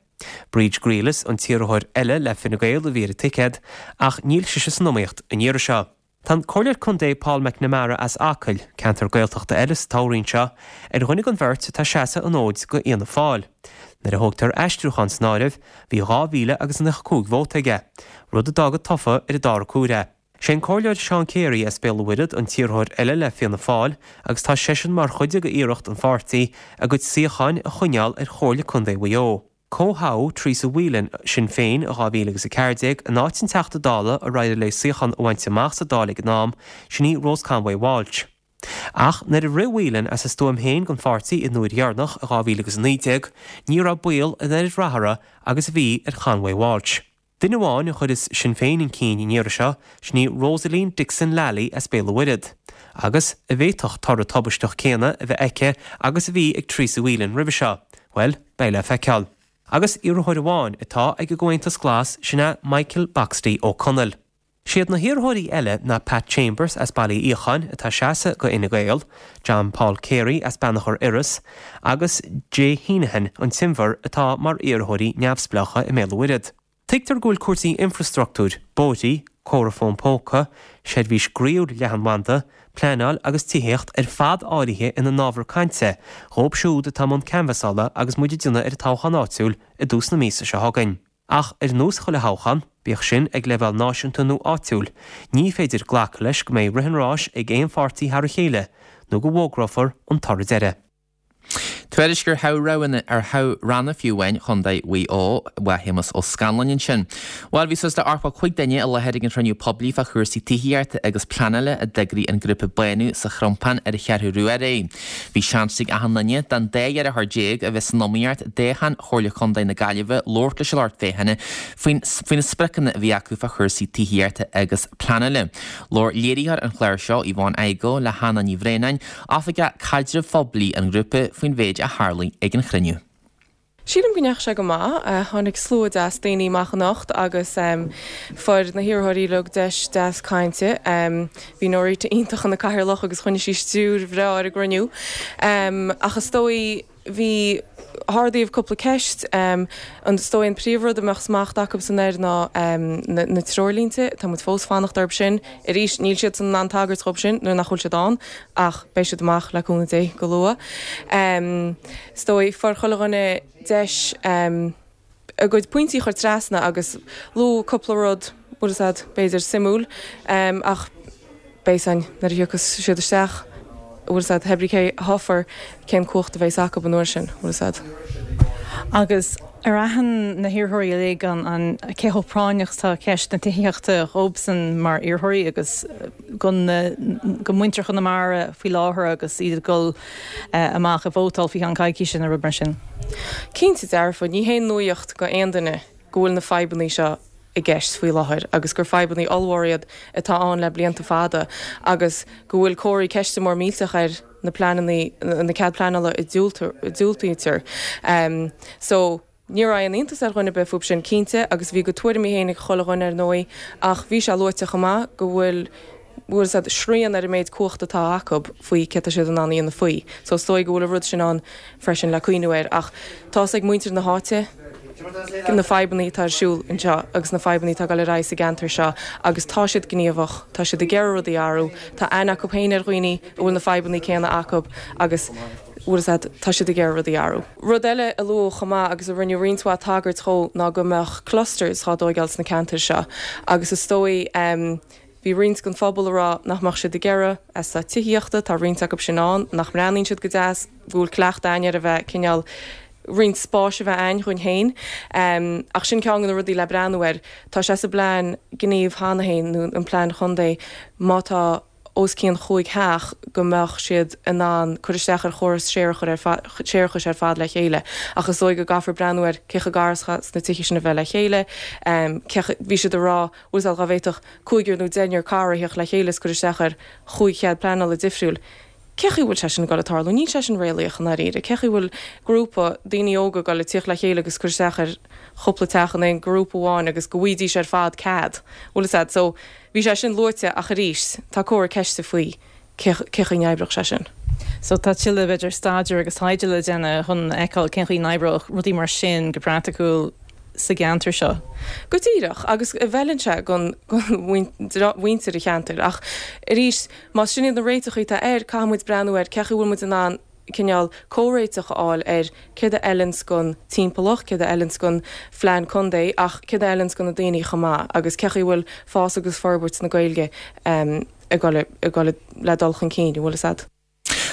Bríd Grealis an t-iarrthóir eile le Fine Gael a bhí ar an ticéad ach níl sise san iomaíocht an iarraidh seo. Tá an Comhairleoir Contae Paul McNamara as Acaill, ceantar Gaeltachta eile sa toghroinn seo, ar dhuine den bheirt atá ag seasamh an fhóid do Fhianna Fáil. Nuair a thógtar aistriúchán san áireamh, bhí dhá mhíle agus nócha cúig vóta aige, rud a d'fhág tofa ar an dara cuaire é. Sé an Comhairleoir Seán Carey as Béal an Mhuirthead an t-iarrthóir eile le Fianna Fáil agus tá seisean mar chuid de iarracht an pháirtí a gcuid suíocháin a choinneáil ar Chomhairle Contae Mhaigh Eo. Comhthoghadh Teresa Whelan, Sinn Féin, i dhá mhíle agus a ceathair déag in áit an Teachta Dála ar éirigh léi suíochán a bhaint amach sa Dáil ag an am, sin í Rose Conway Walsh. Ach nuair a rith Whelan as a stuaim féin don pháirtí an uair dheireanach i dhá mhíle agus a naoi déag, ní raibh baol an oiread ratha uirthi agus a bhí ar Conway Walsh. Duine amháin a chuireas Sinn Féin chun cinn an iarraidh seo, sin í Rosaleen Dixon Lally as Béal an Mhuirthead. Agus an bhféadfadh toradh tubaisteach céanna a bheith aici agus a bhí ag Teresa Whelan roimhe seo? Bhuel, beidh le feiceáil. Agus iarrthóir amháin atá ag an gComhaontas Glas, sin é Michael Boxty Ó Conaill. Siad na hiarrthóirí eile ná Pat Chambers as Baile Uí Fhiacháin atá ag seasamh do Fhine Gael, John Paul Carey as Beannachar Iorrais agus Jay Heneghan, an tInbhear, atá mar iarrthóirí neamhspleácha i mBéal an Mhuirthead. Tuigtear go bhfuil cúrsaí infreastruchtúir, bóithrí, comhartha fón póca, seirbhís groíúil leathanbhanda, pleanáil agus tithíocht ar fad áirithe ina n-ábhar cainte dhóibh siúd atá i mbun canbhasála agus muid ag déanamh ar an toghchán áitiúil i dtús na míosa seo chugainn. Ach ar nós chuile thoghchán, bíodh sin ag leibhéal náisiúnta nó áitiúil, ní féidir glacadh leis go mbeidh rith an ráis ag aon pháirtí thar a chéile nó go bhfógrófar an toradh deiridh. Tuairisc ar thoghroghanna, ar thoghranna fiú amháin Chontae Mhaigh Eo, uaidh Shéamus Ó Scanláin ansin. Bhuel, bhí suas le ochtó cúig duine i láthair ag an chruinniú poiblí fá chúrsaí tithíochta agus pleanála a d'eagraigh an grúpa Bánú sa Chrompán ar an Cheathrú Rua aréir. Bhí seans ag achan duine den dá iarrthóir déag a bhí san iomaíocht i dtoghchán Chomhairle Contae na Gaillimhe labhairt leis an lucht féachana faoin faoi na spriocanna a bhí acu fá chúrsaí tithíochta agus pleanála. Labhair léiritheoir an chláir seo, Yvonne Igoe, le Hannah Ní Bhraonáin, Oifigeach Caidrimh Phoiblí an ghrúpa, faoin mhéid a tharlaigh ag an chruinniú. Sílim go ndeachaigh sé go maith. Tháinig slua deas daoine amach anocht agus fuair na hiarrthóirí uilig deis deas cainte. Bhí Norita iontach ina cathaoirleach agus choinnigh sí stiúir bhreá ar an gcruinniú. Ach is dóigh bhí ardaíodh cúpla ceist. Is dóigh an príomhrud a mbeadh smacht acusan air ná na treoirlínte. Tá muid fós fanacht orthu sin. Arís, níl siadsan in ann tagairt dhóibh sin nuair nach bhfuil siad ann, ach beidh siad amach le cúnamh Dé go luath. Is dóigh, fuair chuile dhuine deis a gcuid pointí a chur trasna agus luadh cúpla rud, bhfuil fhios a'd, b'fhéidir suimiúil, ach beidh fhios a'inn nuair a thiocfas siad isteach, bhfuil fhios a'd, pé brí cé a thoghfar, cén cumhacht a bheas acu an uair sin, bhfuil fhios a'd. Agus Ar aithin na hiarrthóirí uilig an an cé chomh práinneach atá ceist na tithíochta dhóibhsan mar iarrthóirí agus gon go muintir Chonamara faoi láthair agus iad ag dul amach ag vótáil faoi cheann coicíse nó rud mar sin? Cinnte dearfa, ní haon nuaíocht go aon duine go bhfuil na fadhbanna seo i gceist faoi láthair agus gur fadhbanna ollmhóra iad atá ann le blianta fada agus go bhfuil comharthaí ceiste mór millteach ar na pleananna, na cead pleanála a diúltaítear. So, ní raibh aon iontas ar dhuine ar bith fúb sin, cinnte, agus bhí a gcuid tuairimí féin ag chuile dhuine ar ndóigh, ach bhí sé luaite chomh maith go bhfuil, bhfuil said, srian ar an méid cumhachta atá acu faoi céard tá siad in ann a dhéanamh faoi. So is dóigh go bhfuil an rud sin ann freisin le cuimhniú air. Ach tá's ag muintir na háite na fadhbanna atá ar siúl anseo agus na fadhbanna atá ag dul ar aghaidh sa gceantar seo agus tá siad gníomhach, tá siad ag iarraidh rudaí a athrú, tá aithne acu féin ar dhaoine a bhfuil na fadhbanna céanna acu agus, bhfuil fhios a'd, tá siad ag iarraidh rudaí a athrú. Rud eile a luadh chomh maith agus a rinneadh roinnt mhaith tagairt dhó ná go mbeadh clusters dhá dtóigeáil sna ceantair seo agus is dóigh, Bhí roinnt den phobal a rá nach mbeadh siad ag iarraidh eastát tithíochta, tá roinnt acu sin ann nach mbreathnaíonn siad go deas, go bhfuil cleachtadh a'ainn ar a bheith cineál roinnt spáis a bheith a'ainn dhúinn féin. Ach sin ceann de na rudaí le breathnú air. Tá sé sa bplean gnímh cheana féin, nó an plean chontae, má tá os cionn chúig theach go mbeadh siad in ann cur isteach ar chóras séarachais ar fad le chéile. Ach is dóigh go gcaithfear breathnú ar cé chomh gar is atá na tithe sin a bheith le chéile, cé bhí siad ag rá, bhfuil fhios a'd, dhá bhféadfadh cúigear nó deichniúr cara a theacht le chéile is cur isteach ar chúig chead pleanála difriúil. Cé chaoi a bhfuil sé sin ag dul ag tarlú? Níl sé sin réalaíoch i ndáiríre. Cé chaoi a bhfuil grúpa daoine óga ag dul ag tíocht le chéile agus cur isteach ar chúpla teach in aon ghrúpa amháin agus go bhfaighidís ar fad cead? Bhfuil fhios a'd? So, bhí sé sin luaite ach arís, tá comhartha ceiste faoi cé cé chaoi n-oibreodh sé sin. So tá tuilleadh b'fhéidir staidéir agus taighde le déanamh chun a fheiceáil cén chaoi n-oibreodh rudaí mar sin go praiticiúil sa gceantar seo. Go díreach, agus a bhfeileann sé don mhuintir an cheantair. Ach arís, más sin iad na réiteachaí atá air, caithfidh muid breathnú ar cé chaoi a bhfuil muid in ann cineál comhréiteach a fháil ar céard a fheileanns don timpeallacht, céard a fheileanns don phlean contae ach céard a fheileanns do na daoine chomh maith agus cé chaoi a bhfuil fás agus forbairt na Gaeilge ag dul le dul chun cinn, an bhfuil fhios a'd.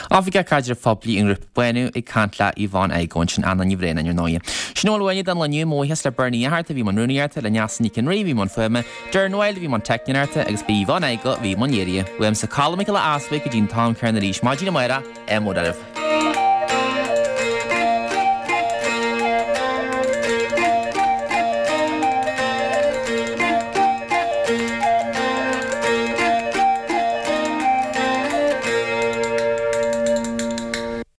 Oifigeach Caidrimh Phoiblí an ghrúpa Bánú ag caint le Yvonne Igoe ansin, Anna Ní Bhraonáin ar ndóighe. Sin a bhfuil uainne don lá inniu, mo bhuíochas le Bernie Fhatharta a bhí i mbun rúnaíochta, le Neasa Nic an Rí a bhí i mbun fuaime, Darren Wilde a bhí i mbun teicneoireachta agus b'é Yvonne Igoe a bhí i mbun léirithe. Uaimse Colm Mac Giolla Easbuig go dtí an t-am céanna arís maidin amárach, ádh mór oraibh.